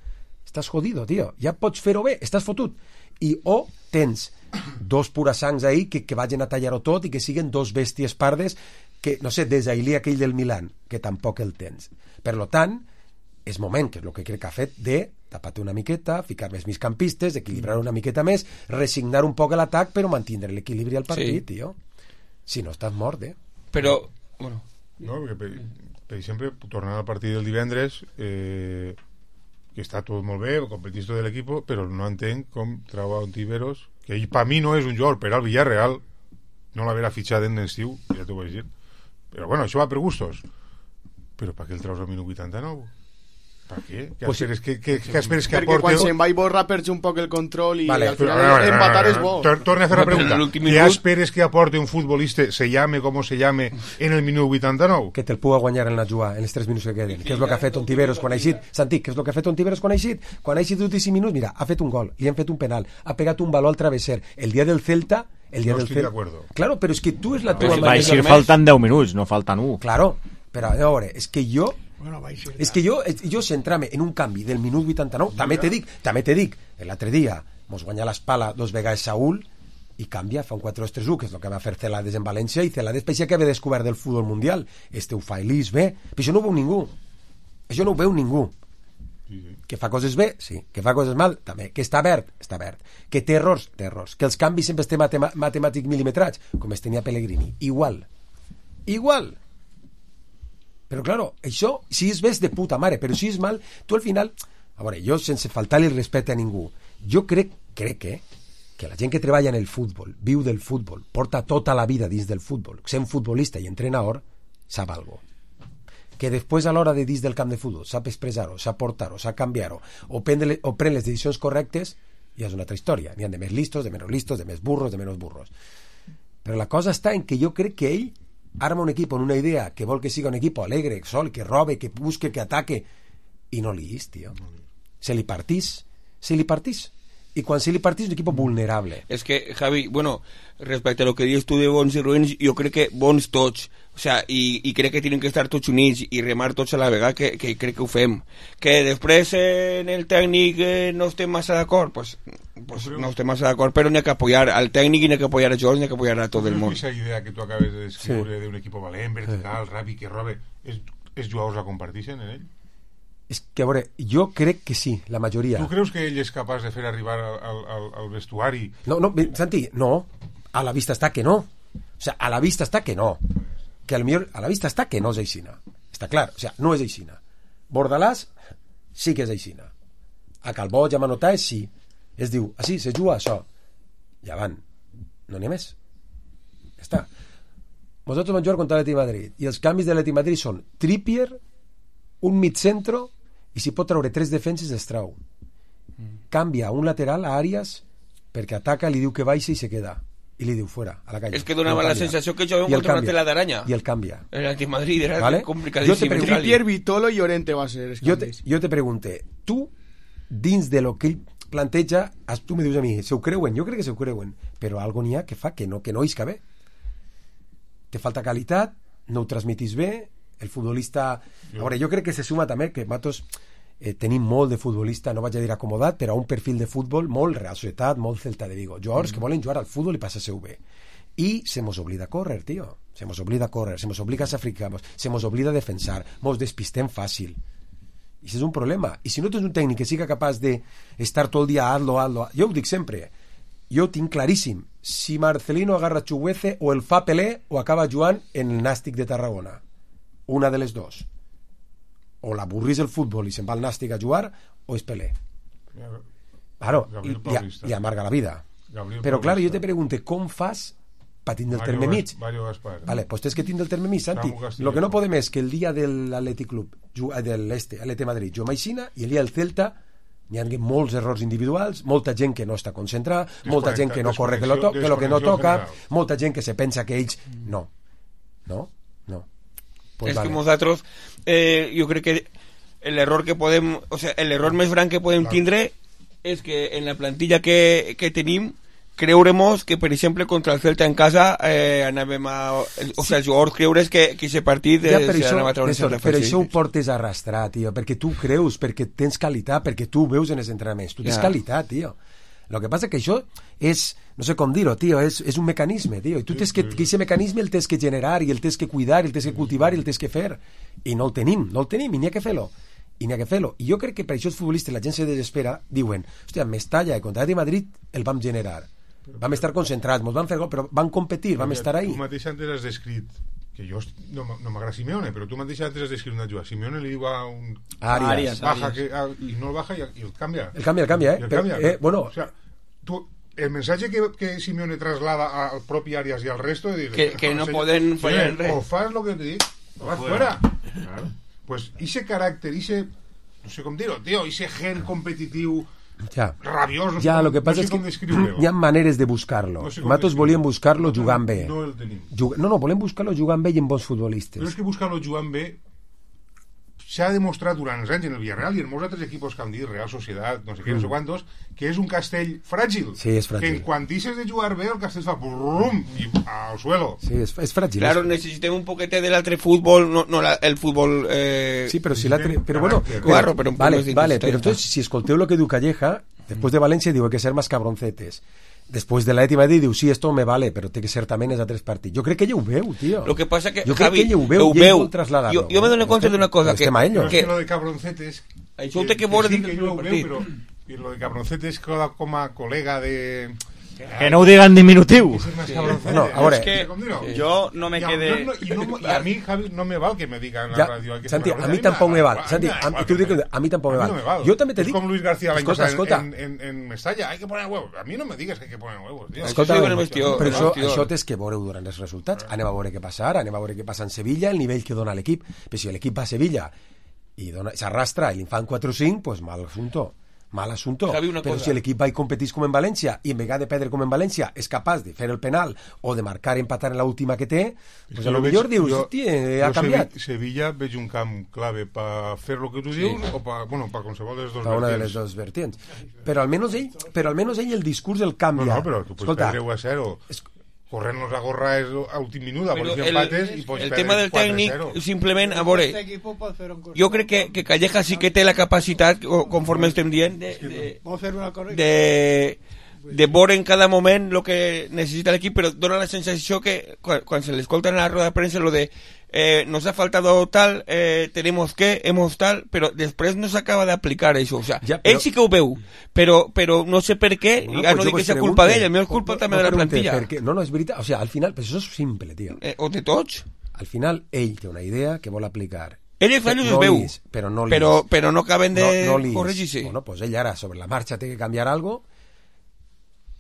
Estàs jodido, tio. Ja pots fer-ho bé, estàs fotut. I o tens dos purasangs ahí que, que vagin a tallar-ho tot i que siguen dos bèsties pardes que, no sé, desailí aquell del Milan, que tampoc el tens. Per lo tant, és moment, que és el que crec que ha fet, de tapar-te una miqueta, ficar més migcampistes, equilibrar una miqueta més, resignar un poc l'atac, però mantindre l'equilibri al partit,
Sí.
tio. Si no, estàs mort, eh?
Però, bueno...
No, perquè, per, per exemple, tornant al partit del divendres, eh, que està tot molt bé, el competista de l'equip, però no entenc com trau a un Tiberos, que ell, per mi no és un jugador per al Villarreal, no l'haverà fitxat en l'estiu, ja t'ho vaig dir. Però bueno, això va per gustos. Però per què el traus al minut vuitanta-nou? Per què? Què
Pues sí.
esperes que, que, que, esperes que
Perquè quan
aporti...
se'n va i borra perds un poc el control i
Vale,
al
Però,
final
a veure,
empatar
a veure,
és bo.
tor- Torna a fer la pregunta.
l'últim
¿Qué
minut-
esperes que aporte un futbolista, se llame como se llame, en el minut vuitanta-nou?
Que te'l puga guanyar en la jugada, en els tres minuts que queden. Què és el que ha fet Ontiveros quan ha eixit? Santi, què és el que ha fet Ontiveros quan ha eixit? Quan ha eixit d'últims minuts, mira, ha fet un gol, li han fet un penal, ha pegat un baló al travesser. El dia del Celta... El dia
No
del
estic
Celta...
d'acuerdo.
Claro, però és que tu és la
Pues
tua
va
manera...
eixir faltant deu minuts, no falten un.
Claro, però a veure, és que jo...
Bueno, va eixir
És que jo, jo centrar-me en un canvi del minut vuitanta-nou, també te dic, també te dic, l'altre dia mos guanya l'espala dos vegades Saúl i canvia, fa un quatre dos tres u, que és el que va fer Celades en València, i Celades parecia que havia descobert del futbol mundial. Este ho fa Elis bé, però això no ho veu ningú. Això no ho veu ningú. Que fa coses bé, sí. Que fa coses mal, també. Que està verd, està verd. Que té errors, té errors. Que els canvis sempre estem matema matemàtic milimetrats, com es tenia Pellegrini. Igual. Igual. Però, claro, això, si és bé, és de puta mare, però si és mal, tu al final... A veure, jo, sense faltar-li el respecte a ningú, jo crec, crec eh, que la gent que treballa en el futbol, viu del futbol, porta tota la vida dins del futbol, sent futbolista i entrenador, sap algo. Que després a l'hora de dins del camp de futbol sap expressar-ho, sap portar-ho, sap canviar-ho, o, prendre, o pren les decisions correctes, ja és una altra història. N'hi ha de més listos, de menys listos, de més burros, de menys burros. Però la cosa està en que jo crec que ell arma un equip amb una idea que vol que siga un equip alegre, sol, que robe, que busque, que ataque, i no li és, tio. Se li partís, se li partís. Y cuando se le partís un equipo vulnerable.
Es que, Javi, bueno, respecto a lo que dices tú de bons y ruins, yo creo que bons tots, o sea, y, y creo que tienen que estar tots units y remar tots a la vegada, que, que crec que ho fem. Que després eh, en el tècnic eh, no estem massa d'acord, pues, pues no estem massa d'acord, però n'hi ha que apoyar al tècnic i n'hi ha que apoyar a Jones, n'hi ha que apoyar a tot el món.
Esa idea que tú acabes de descriure
Sí.
de un equipo valent, vertical, ràpid, que robe, és, és jugadors la compartixen en ell?
És que, a veure, jo crec que sí, la majoria.
Tu creus que ell és capaç de fer arribar al, al, al, al vestuari?
No, no, bé, Santi, no. A la vista està que no. O sea, a la vista està que no. Que a lo millor, a la vista està que no és aixina. Està clar, o sea, no és aixina. Bordalàs sí que és aixina. A Calbó, ja Manotà, sí. Es diu, ah, sí, se juga això. Ja van. No n'hi ha més. Ja està. Vosaltres van jugar contra l'Atlètic de Madrid i els canvis de l'Atlètic de Madrid són Trippier, un mitcentro, i si pot treure tres defenses es trau. Canvia un lateral a Arias perquè ataca, li diu que baixa i se queda. I li diu fora, a la calle.
És que donava
I el
la
canvia.
sensació que jugàvem
I el
contra una
canvia.
tela d'aranya.
I el canvia.
El Antimadrid era
¿Vale?
complicadíssim.
Jo te pregunto-
Trippier, Vitolo i Llorente va ser els
Jo te,
canvis.
jo te pregunte, tu, dins de lo que ell planteja, as- tu me dius a mi, se ho creuen? Jo crec que se ho creuen, però algo n'hi ha que fa que no, que no isca bé. Te falta qualitat, no ho transmitís bé, el futbolista... A veure, jo crec que se suma també que nosaltres eh, tenim molt de futbolista, no vaig a dir acomodat, però a un perfil de futbol molt Real Societat, molt Celta de Vigo. Jugadors mm. que volen jugar al futbol i passar-se-ho bé. I se mos oblida córrer, tio. Se mos oblida córrer, se mos obliga a sacrificar, se mos oblida a defensar, mos despistem fàcil. I això és un problema. I si no tens un tècnic que siga capaç d'estar tot el dia hazlo, hazlo... Jo ho dic sempre, jo ho tinc claríssim. Si Marcelino agarra Chuguece, o el fa Pelé o acaba jugant en el Nàstic de Tarragona. Una de les dos. O l'avorrís el futbol i se'n va al Nàstic a jugar, o és Pelé. Claro, i, i, i amarga la vida.
Gabriel
Però, clar,
Paulista.
jo te pregunto, com fas per tindre el
Mario
terme mig?
Gas- Mario Gaspar.
Vale, pues tens que tindre el terme mig, Santi.
Samu Castillo.
Lo que no podem és que el dia de l'Atlètic Club, ju- eh, de l'Este, Atlètic Madrid, jo m'aixina, i el dia del Celta n'hi ha molts errors individuals, molta gent que no està concentrada, molta gent que no corre que lo, to que lo que no toca,
desconexió
molta gent que se pensa que ells... No. No? No. Pues
es
vale.
que nosaltres, eh, jo crec que l'error que podem, o sea, l'error més gran que podem tindre és que en la plantilla que, que tenim creuremos que, per exemple, contra el Celta en casa eh, anàvem a... O sigui, els jugadors creure's que, que aquest partit eh,
Ja, per
se
això,
anava a treure
Néstor,
certa
per
fàcil.
això ho portes a arrastrar, tio, perquè tu creus, perquè tens qualitat, perquè tu ho veus en els entrenaments, tu tens
Ja.
qualitat, tio. Lo que passa que això és, no sé com dir-ho, tio, és, és un mecanisme, tio, i tu tens que, que aquest mecanisme el tens que generar, i el tens que cuidar, i el tens que cultivar, i el tens que fer, i no el tenim, no el tenim, i n'hi ha que fer-lo, i n'hi ha que fer-lo. I jo crec que per això els futbolistes, la gent se desespera, diuen, hòstia, Mestalla i contra el Madrid el vam generar, vam estar concentrats, mos vam fer gol, però vam competir, vam estar ahí.
Tu mateix antes has descrit que jo no, no m'agrada Simeone, però tu mateix antes has descrit una jugada. Simeone li diu a un...
Arias, Arias,
baja
Arias.
Que, a, i no el baja i, i el canvia.
El canvia, el canvia, eh?
I el
Però,
canvia.
eh, bueno...
O sea, tu, el mensatge que, que Simeone traslada al propi Arias i al resto de dir,
Que- que no poden fallar en res.
o fas lo que te dic o vas fuera. Claro. Pues ese carácter, ese, no sé com dir-ho, tio, ese gen competitiu
Ja,
rabiós, no sé
ja
com-
lo que passa
no sé
és que
com descriure-ho.
hi ha maneres de buscar-lo.
No sé com
Nosaltres volíem buscar-lo jugant bé.
No el tenim.
Jug... No, no, volem buscar-lo jugant bé i amb bons futbolistes.
Però és que buscar-lo jugant bé s'ha demostrat durant els anys en el Villarreal i en molts altres equipos que han dit, Real Societat, no sé què, no sé
Mm.
quantos, que és un castell fràgil.
Sí, és fràgil.
Que en quan deixes de jugar bé, el castell fa brum i al suelo.
Sí, és, és fràgil.
Claro,
és...
necessitem un poquete de l'altre futbol, no, no la, el futbol... Eh...
Sí, però si l'altre... Però bueno,
Claro, però un poco
vale,
de
vale,
intensitat.
però entonces, si escolteu lo que diu Calleja, después de Valencia diu hay que ser más cabroncetes. Después de la Eti Madrid diu, sí, esto me vale, però té que ser també en els altres partits. Jo crec que ella ho veu, tio.
Lo que pasa que,
jo crec
Javi,
que ella ho veu,
ho
i ell
veu.
vol traslladar-lo.
Jo, jo me dono compte d'una cosa, que,
Però és
que,
que lo de cabroncetes...
Això ho té que veure
sí,
dins
que
del
jo ho
primer
veu,
partit.
però i lo de cabroncetes queda com a col·lega de...
Que no ho diga en diminutiu.
Sí.
Bueno, a veure,
Es que
¿Cómo dirlo?
yo no me
Y a-
quedé...
no, no, y, no, y a mí, Javi, no me val que me digan en la
Ja,
radio. hay que
Santi,
ser
a mi
cabroncetes.
tampoc me val.
A mí
Santi,
me da
a,
igual
tu
que
dic,
me-
a mi tampoc me
a mí
val.
no me val.
Jo també te
Es
dic...
como Luis García la
Escolta, escolta.
en, en, en Mestalla, hay que poner huevos. A mí no me digas que hay que poner huevos, tío.
Escolta,
Això sí que no m'estió-
però això,
m'estió.
això tens que veure durant els resultats. Anem a veure què passa ara, anem a veure què passa en Sevilla, el nivell que dona l'equip. Però si l'equip va a Sevilla i dona- s'arrastra i li fan quatre o cinc, pues mal assunto. Mal assunto.
Javi, una
Però
cosa.
si l'equip va i competís com en València i en vegada de perdre com en València és capaç de fer el penal o de marcar i empatar en l'última que té, pues a lo
Jo
millor
veig-
dius,
jo-
hosti, ha
jo
canviat.
Sevi- Sevilla veig un camp clave per fer el que tu dius o per, bueno, per qualsevol de les dues
Per una de les
vertients.
dues vertients. Però almenys ell, però almenys ell el discurs el canvia.
No, no, però tu pots
Escolta,
perdre u a cero. Corrernos a gorra és a últim minut, a
Però
veure si
el,
empates i pots
el
perdre
tema del
quatre a
tècnic,
zero.
simplement, a veure, jo crec que, que Calleja sí que té la capacitat, o conforme estem dient, de, de,
Vol fer una correcta.
de, de veure en cada moment el que necessita l'equip, però dona la sensació que quan, quan se l'escolta en la roda de premsa lo de eh, nos ha faltado tal, eh, tenemos que, hemos tal, però després no s'acaba d'aplicar això, o sea,
Ja,
ell
però-
sí que ho veu, però, però no sé per què,
Bueno,
ja
pues
no
jo
dic que
vos
sea
pregunte,
culpa d'ell, el meu és culpa
no-
també
no
de la
pregunte
plantilla.
per què. No, no, és veritat. O sigui, al final, però això és simple, tio.
Eh, o de tots.
Al final, ell té una idea que vol aplicar.
Ell els fallos
no
els veu,
lis, però no lis.
però, però no acaben de
no, no lis.
corregir-se.
Bueno, pues ell ara, sobre la marxa, té que canviar algo.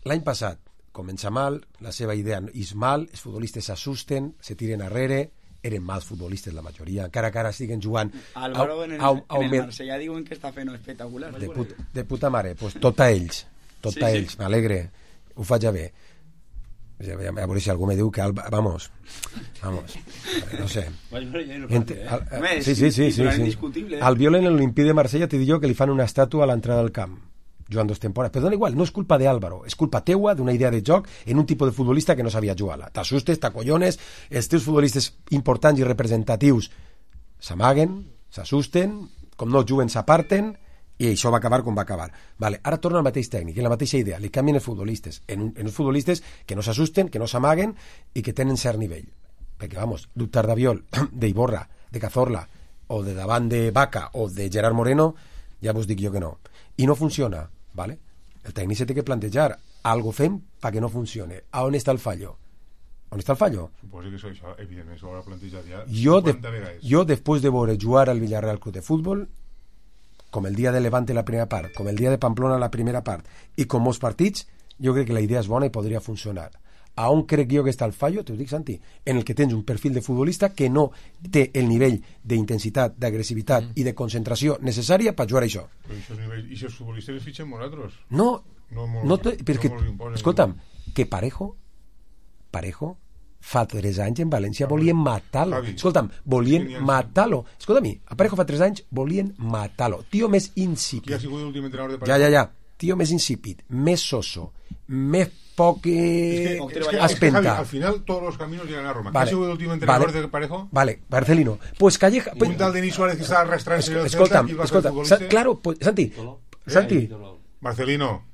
L'any passat comença mal, la seva idea és mal, els futbolistes s'assusten, se tiren arrere, eren mals futbolistes la majoria, encara que ara estiguen jugant
Álvaro
a-
en el,
a- a-
en
a-
el Marsella diuen que està fent espectacular.
de, put, de puta mare, pues tot a ells, tot
Sí,
a
sí.
ells, m'alegre, ho faig a bé. Ja, ja, a veure si algú me diu que Alba, vamos, vamos, no sé. Ent- al-
Home,
sí,
és
sí, sí, sí,
titular
sí.
indiscutible, eh?
Al Viola en l'Olimpí de Marsella te dic jo que li fan una estàtua a l'entrada del camp jugant dos temporades, però dona igual, no és culpa de Álvaro, és culpa teua d'una idea de joc en un tipus de futbolista que no sabia jugar-la. T'assustes, t'acollones, els teus futbolistes importants i representatius s'amaguen, s'assusten, com no juguen s'aparten, i això va acabar com va acabar. Vale, ara torna el mateix tècnic, en la mateixa idea, li canvien els futbolistes, en, un, en uns futbolistes que no s'assusten, que no s'amaguen i que tenen cert nivell. Perquè, vamos, dubtar d'Aviol, d'Iborra, de Cazorla, o de davant de Vaca, o de Gerard Moreno, ja vos dic jo que no. I no funciona, vale? El tècnic se té que plantejar, algo fem perquè no funcione. A on està el fallo? On està el fallo?
Suposo que això, això evidentment, s'ho haurà plantejat ja
jo, de,
cinquanta vegades.
Jo, després de veure jugar al Villarreal Club de Futbol, com el dia de Levante la primera part, com el dia de Pamplona la primera part, i com molts partits, jo crec que la idea és bona i podria funcionar. A on crec jo que està el fallo? T'ho dic, Santi, en el que tens un perfil de futbolista que no té el nivell d'intensitat, d'agressivitat mm. i de concentració necessària per jugar a això.
Però això nivell, i si els futbolistes els fitxen nosaltres?
No,
no, molt,
no te, perquè,
no
escolta'm, que Parejo, Parejo, fa tres anys en València volien matar-lo. Escolta'm, volien matar-lo. Escolta-mi, a Parejo fa tres anys volien matar-lo. Tio més insípid.
Qui ha sigut l'últim entrenador de Parejo?
Ja, ja, ja. Tio més insípid, més soso, més poc eh,
es que, es que,
espenta.
Es que, Javi, al final todos los caminos llegan a Roma.
Vale,
¿Quién ha sido el último entrenador
vale,
de Parejo?
Vale, Marcelino. Pues Calleja... Pues,
un tal Denis Suárez que está arrastrándose
es,
el
escolta'm,
Celta,
escolta'm, escolta, claro, pues, Santi, Santi.
Marcelino.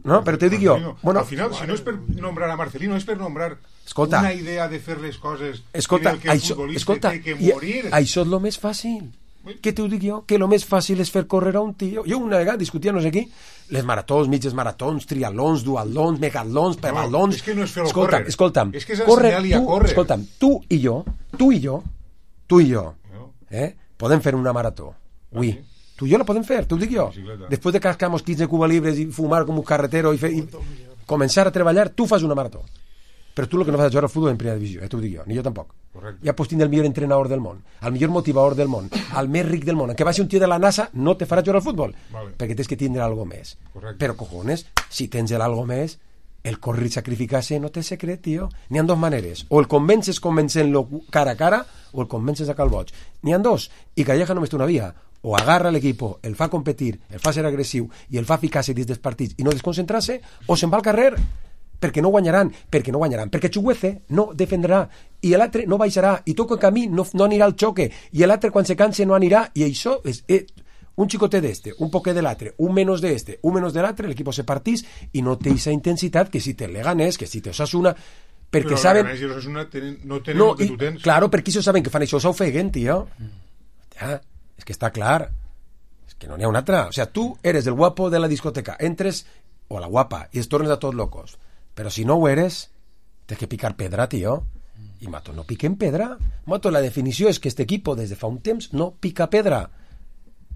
No, però te dic jo... Bueno,
al final, si no és per nombrar a Marcelino, és per nombrar
escolta,
una idea de fer les coses
escolta,
en el que el
això,
futbolista
escolta,
té que morir.
Això és el més fàcil. Què t'ho dic jo? Que el més fàcil és fer córrer a un tio. Jo una vegada discutia, no sé qui, les maratons, mitges maratons, triatlons, duatlons, megatlons, pebalons...
No, és que no és fer-ho
escolta'm,
córrer.
Escolta'm,
és que és
corre,
ensenyar-li a
tu,
córrer.
Escolta'm, tu i jo, tu i jo, tu i jo, eh, podem fer una marató. Ui. Ah, sí? Tu i jo la podem fer, t'ho dic jo. Després de cascar-nos quinze cuba libres i fumar com un carretero i, fer, i començar a treballar, tu fas una marató. Però tu el que no fas és jugar al futbol en primera divisió, eh, t'ho dic jo, ni jo tampoc. Correcte. Ja pots tindre el millor entrenador del món, el millor motivador del món, el més ric del món, que va ser un tio de la NASA, no te farà jugar al futbol, vale. Perquè tens que tindre algo més. Correcte. Però, cojones, si tens el algo més, el córrer i sacrificar-se no té secret, tio. N'hi ha dos maneres. O el convences convencent-lo cara a cara, o el convences a calboig. N'hi ha dos. I Calleja només té una via. O agarra l'equipo, el fa competir, el fa ser agressiu i el fa ficar-se dins dels partits i no desconcentrar-se, o se'n va al carrer perquè no guanyaran, perquè no guanyaran, perquè Chuguece no defendrà i l'altre no baixarà i tot el camí no, no anirà al xoque i l'altre quan se canse no anirà i això és... Eh, un xicotet d'este, un poquet de l'altre, un menos d'este, un menos de l'altre, l'equip se partís i no té aquesta intensitat que si té el Leganés, que si té Osasuna, perquè
però
saben...
Però el Leganés i Osasuna tenen, no tenen
no,
el que
i,
tu tens.
Claro, perquè això saben que fan això, s'ofeguen, tio. Ja, és que està clar. És que no n'hi ha una altra. O sea, tu eres el guapo de la discoteca, entres, o la guapa, i es tornes a tots locos. Però si no ho eres, tens que picar pedra, tio. I Mato no piquen pedra. Mato, la definició és que este equipo, des de fa un temps, no pica pedra.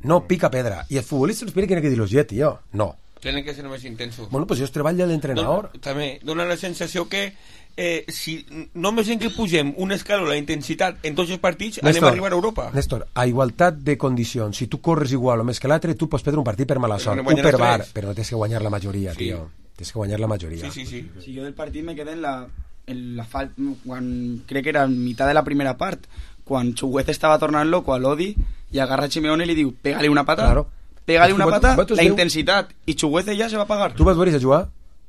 No pica pedra. I els futbolistes tienen que dir-los ja, tio. No.
Tienen que ser més intensos.
Bueno, pues jo treball de l'entrenador.
Don, també dona la sensació que eh, si només en que pugem un escaló la intensitat en tots els partits, Néstor, anem a arribar a Europa.
Néstor, a igualtat de condicions, si tu corres igual o més que l'altre, tu pots perdre un partit per mala sort, un per bar, però no tens que guanyar la majoria, sí. Tio. Tens que guanyar la majoria.
Sí, sí, sí. Si jo del partit me quedé en la, en la fal... quan crec que era en mitad de la primera part, quan Chuguez estava tornant loco a l'Odi i agarra a Simeone i li diu, pégale una pata. Claro. Pégale una pata, la intensitat, i Chuguez ja se va pagar.
Tu vas veure a jugar?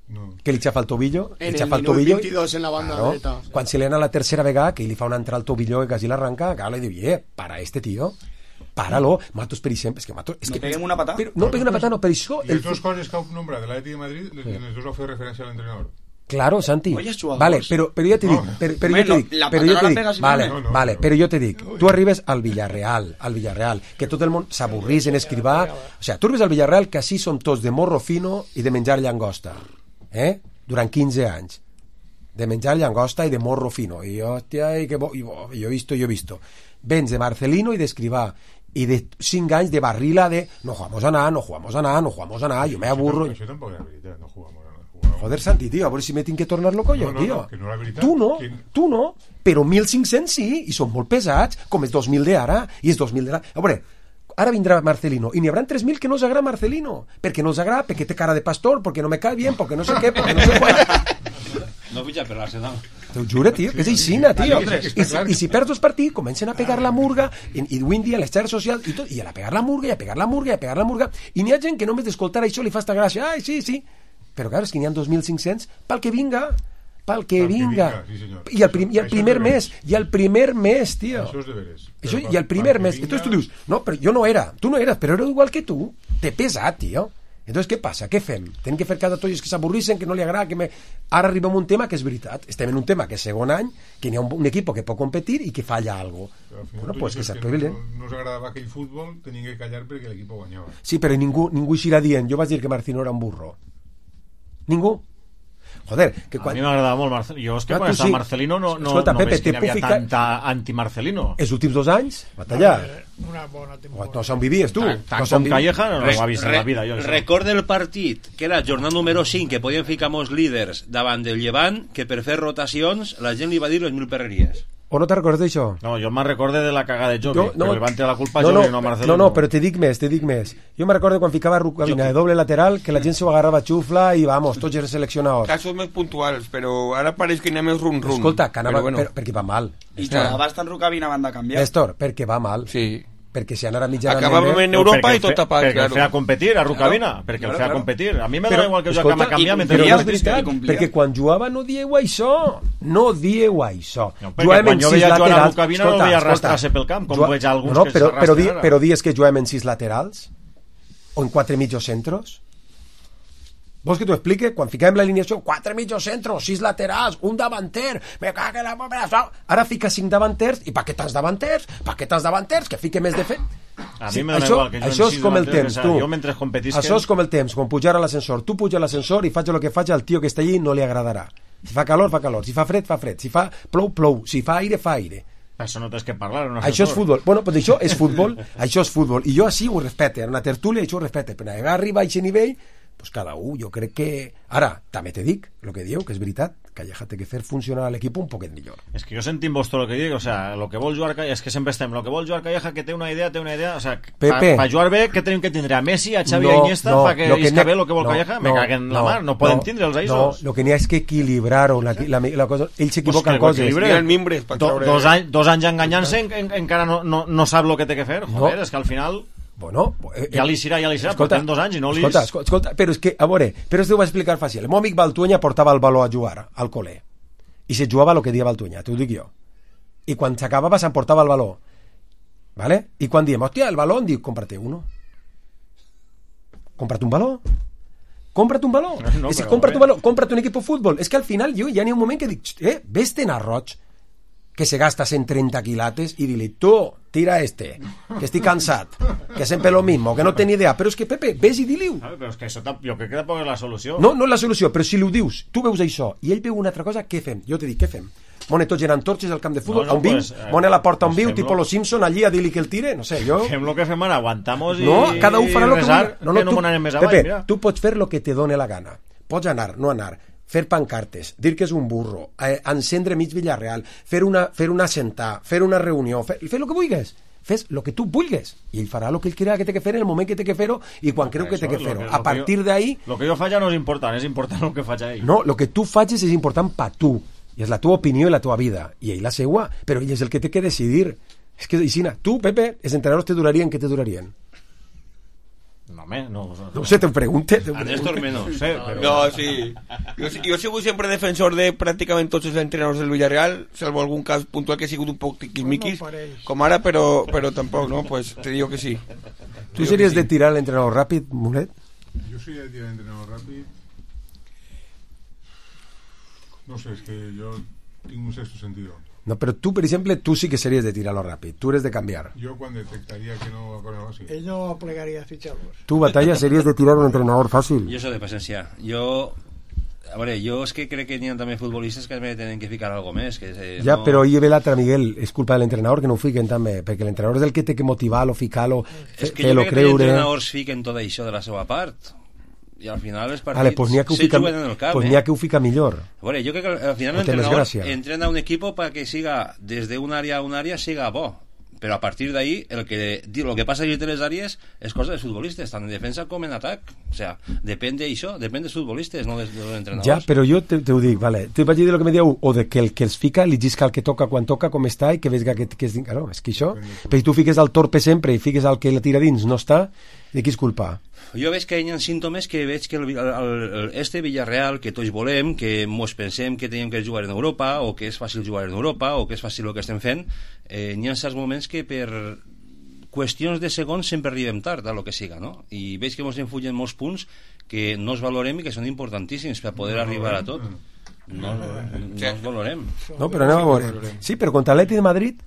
No. Que li xafa el tobillo,
en
li xafa
el
el tobillo,
veintidós en la banda
claro,
dreta.
Quan se li ana la tercera vegada que li fa una entrada al tobillo que quasi l'arranca, claro, li diu, eh, para este tío, páralo. Matos, per exemple, és que Matos... És
no
que,
peguem una patà?
Però, no peguem una patà, no, per això...
I les dues coses que heu nombrat de l'Atlètic de Madrid, les, sí. les dues heu fet referència a l'entrenador.
Claro, Santi. Vale, però, però ja te dic, però, però jo te dic, però jo te dic, vale, no, no, vale, no. Però jo te dic, tu arribes al Villarreal, al Villarreal, que tot el món s'avorrís en escrivar, o sigui, tu arribes al Villarreal que així som tots de morro fino i de menjar llangosta, eh? Durant quinze anys, de menjar llangosta i de morro fino, i hòstia, i que bo, i bo, jo he visto, jo he visto. Vens de Marcelino i d'escrivar, i de cinc anys de barrila de no jugamos a nada, no jugamos a nada, no jugamos a nada, jo me aburro.
Això tampoc és veritat, no jugamos a nada.
Joder, Santi, tío, a veure si me tinc que tornar loco jo,
no, no,
tío.
No, que no la veritat,
tu no,
que...
tu no, però mil cinc-cents sí, i són molt pesats, com els dos mil d'ara, i els dos mil d'ara. A veure, ara vindrà Marcelino, i n'hi haurà tres mil que no els agrada Marcelino, perquè no els agrada, perquè té cara de pastor, perquè no me cae bien, perquè no sé què, perquè no sé què.
No pitja per l'Arsenal.
T'ho juro, tio, que és aixina, tio. I, si, I si perds els partits, comencen a pegar la murga, i, i avui en dia a les xarxes socials, i, tot, i a pegar la murga, i a pegar la murga, i a pegar la murga, i n'hi ha gent que només d'escoltar això li fa esta gràcia, ai, sí, sí. Però clar, és que n'hi ha dos mil cinc-cents pel que vinga. pel que
Pel que
vinga.
vinga, sí, senyor.
I el, prim, i el
Això
primer
és
mes, i el primer mes, tio.
Això és de veres.
Això,
Però
I el
pel-
primer
pel que
mes.
vinga-
Entonces tu dius, no, però jo no era, tu no eres, però era igual que tu. T'he pesat, tio. Entonces, què passa? Què fem? Tenim que fer cada tolles que s'avorrissem, que no li agrada, que me... Ara arribem a un tema que és veritat. Estem en un tema que és segon any, que n'hi ha un, un equip que pot competir i que falla algo.
Però al final
Bueno,
tu
pues que
dices
s'espavilen.
no, no us agradava aquell futbol, tenien que callar perquè l'equip guanyava.
Sí, però ningú, ningú eixirà dient, jo vaig dir que Marcino era un burro. Ningú. Joder, que quan...
A mi m'agradava molt Marcelino. Jo és que
Ah,
quan
tu
estava
sí.
Marcelino no, no,
Escolta,
no
Pepe,
veig que
te
hi havia
puc ficar-
tanta anti-Marcelino.
Els últims dos anys, batallar.
Una bona temporada.
No se'n vivies, tu.
Tant- tant
no se'n
com
vivies.
Calleja no ho ha vist en la vida. Jo, això.
Recorda el partit, que era jornada número cinc, que podien ficar molts líders davant del Llevant, que per fer rotacions la gent li va dir les mil perreries.
O no te recordes d'això?
No, jo me'n recorde de la cagada de Jovi,
Jo-
no,
no,
que li van treure la culpa a
no,
Jovi,
no,
no a Marcelino.
no, no, però te dic més, te dic més. Jo me recordo quan ficava Rucabina de doble lateral, que la gent s'ho agarrava xufla i vamos, tots els seleccionadors.
Casos més puntuals, però ara pareix que anem més rum-rum.
Escolta, que anava,
Però bueno.
per, perquè va mal.
I jugava bastant Rukavina van de canviar.
Néstor, perquè va mal.
Sí.
Perquè si anara mitjanament...
Acabàvem en
No,
Europa
perquè
i tot
el fe-
tapat,
perquè
claro.
el feia competir a Rukavina,
Claro,
perquè
claro,
el feia
claro.
competir. A mi me
Però,
dona igual que
escolta,
Joaquim a canviar
i-
mentre
però
jo
no és veritat, perquè quan jugava no dieu això. No dieu això.
No, perquè quan jo veia jugar a Rukavina no el veia arrastrar-se pel camp, com veig alguns
no,
que
però, però, di,
s'arrastren ara.
però dies que juguem en sis laterals o en quatre mitjos centros. Vols que t'ho explique? Quan fiquem la alineació, quatre mitjos centros, sis laterals, un davanter, me caga la mare. Ara fica cinc davanters, i pa què tants davanters? Pa què tants davanters? Que fique més de fet.
A mi
Sí,
me dona
això,
igual que jo
això
en
és
sis
com el
davanters,
temps,
que
tu.
jo mentre competisquen-
Això és com el temps, quan pujar a l'ascensor. Tu puja a l'ascensor i faig el que faig, al tio que està allí no li agradarà. Si fa calor, fa calor. Si fa fred, fa fred. Si fa plou, plou. Si fa aire, fa aire.
Això no tens que parlar en un
Això és
ascensor.
futbol. Bueno, pues això és futbol, això és futbol. I jo així ho respecte, en una tertúlia això ho respecte. Però arribar arriba a aquest nivell, pues cada un, jo crec que... Ara, també te dic, el que dieu, que és veritat, Calleja té que fer funcionar l'equip un poquet millor.
És que jo sentim vos tot el que dic, o sea, lo que vol jugar Calleja, és que sempre estem, lo que vol jugar Calleja, que té una idea, té una idea, o sea,
Pepe.
per jugar bé, que tenim que tindre a Messi, a Xavi,
No,
a Iniesta,
no,
fa que
lo que
isca
n'hi-
bé lo que vol
no,
Calleja, me
no,
caguen la
no,
mar, no poden
no,
tindre'ls a
No,
ells.
el que n'hi ha és que equilibrar-ho, la, la, la cosa... Ells s'equivoquen
Pues
coses.
que ho equilibre. Do, dos, anys, dos anys enganyant-se en, en, encara no, no, no sap el que té que fer, joder,
No.
és que al final...
Bueno, eh,
ja li serà, ja li serà, portem dos anys i no li...
Escolta, escolta, escolta, però és que, a veure, però us ho vaig explicar fàcil. El meu amic Baltuenya portava el baló a jugar al col·le i se jugava el que dia Baltuenya, t'ho dic jo. I quan s'acabava s'emportava el baló. ¿Vale? I quan diem, hòstia, el baló, em diu, cómprate uno. Cómprate un baló. Cómprate un baló.
No,
és que
però
cómprate
bé.
un baló, cómprate un equip de futbol. És que al final jo ja n'hi ha un moment que dic, eh, vés-te'n a Roig, que se gasta cent trenta quilates i dile, tu, tira este, que estic cansat, que sempre lo mismo, que no té ni idea. Però és que, Pepe, ves i dili-ho.
Ah, però és que això tamp- jo crec que tampoc és la solució.
No, no és la solució, però si li ho dius, tu veus això, i ell veu una altra cosa, què fem? Jo te dic, què fem? Mone tots eren torxes al camp de futbol,
No, no,
on viu,
pues, eh,
mone a la porta on
pues
viu,
fem-lo.
tipo los Simpson, allí a dir-li que el tire, no sé, jo...
Fem lo que fem ara, aguantamos i...
No, cada un farà el que
resar,
vulgui. No,
que
no,
no
tu,
m'ho anem més avall,
Pepe,
mira.
tu pots fer el que te done la gana. Pots anar, no anar, fer pancartes, dir que és un burro, eh, encendre mig Villarreal, fer una, fer una sentar, fer una reunió, fer, fer el que vulguis. Fes el que tu vulguis i ell farà el que ell crea que té que fer en el moment que té que fer-ho i quan creu que té que
Això,
fer-ho.
lo
A
lo
partir
jo-
d'ahí...
Lo que jo faig ja no és important, és important el que faig a ell.
No, el que tu facis és important per tu, i és la teva opinió i la teva vida, i ell la seua, però ell és el que té que decidir. És que, Isina, tu, Pepe, els entrenadors te durarien, què te durarien?
No, home, no...
No sé, te ho pregunte. Te ho
A Néstor
pregunte.
menos.
No sé, però...
No, sí. Jo, jo he sigut sempre defensor de pràcticament tots els entrenadors del Villarreal, salvo algun cas puntual que ha sigut un poc tiquismiquis, com ara, però, però tampoc, no? Pues te digo que sí.
Tu series de tirar l'entrenador ràpid, Mulet?
Jo soy de tirar entrenador ràpid. No sé, és que jo tinc un sexto sentido.
No, però tu, per exemple, tu sí que series de tirar-lo ràpid. Tu eres de canviar.
Jo quan detectaria que no va correr así.
Ell no plegaria fitxar-los.
Tu, Batalla, series de tirar un entrenador fàcil.
Jo soy de paciencia. Jo... A veure, jo és que crec que n'hi ha també futbolistes que me tenen que ficar algo més. Que eh,
Ja,
no...
però hi ve l'altre, Miguel, és culpa de l'entrenador que no ho fiquen també, perquè l'entrenador és el que té que motivar-lo, ficar-lo,
És que jo
fer-lo
crec que els
creure...
entrenadors fiquen tot això de la seva part. I al final els partits
Vale, pues n'hi ha que ho
se
fica,
juguen en el camp,
pues
eh?
n'hi ha que ho fica millor.
A veure, jo crec que al final
No té més
l'entrenador
gràcia.
entrena un equipo para que siga desde un área a un área siga bo, però a partir d'ahí el que lo que passa a les àrees és cosa dels futbolistes, tant en defensa com en atac. O sea, depèn d'això, depèn dels futbolistes, no dels, dels entrenadors.
Ja, però jo te, te ho dic, vale. Te vaig dir de lo que me dieu, o de que el que els fica li gisca el que toca quan toca, com està, i que veig que, que és... Claro, és que això... Però si tu fiques al torpe sempre i fiques al que la tira dins no està, De qui és culpa?
Jo veig que hi ha símptomes que veig que el, el, el, este Villarreal que tots volem, que mos pensem que tenim que jugar en Europa, o que és fàcil jugar en Europa, o que és fàcil el que estem fent, eh, hi ha certs moments que per qüestions de segons sempre arribem tard a lo que siga, no? I veig que mos enfullen molts punts que no els valorem i que són importantíssims per poder no, arribar a tot. No, no, no els valorem.
No, però anem a veure. Sí, però contra l'Atleti de Madrid...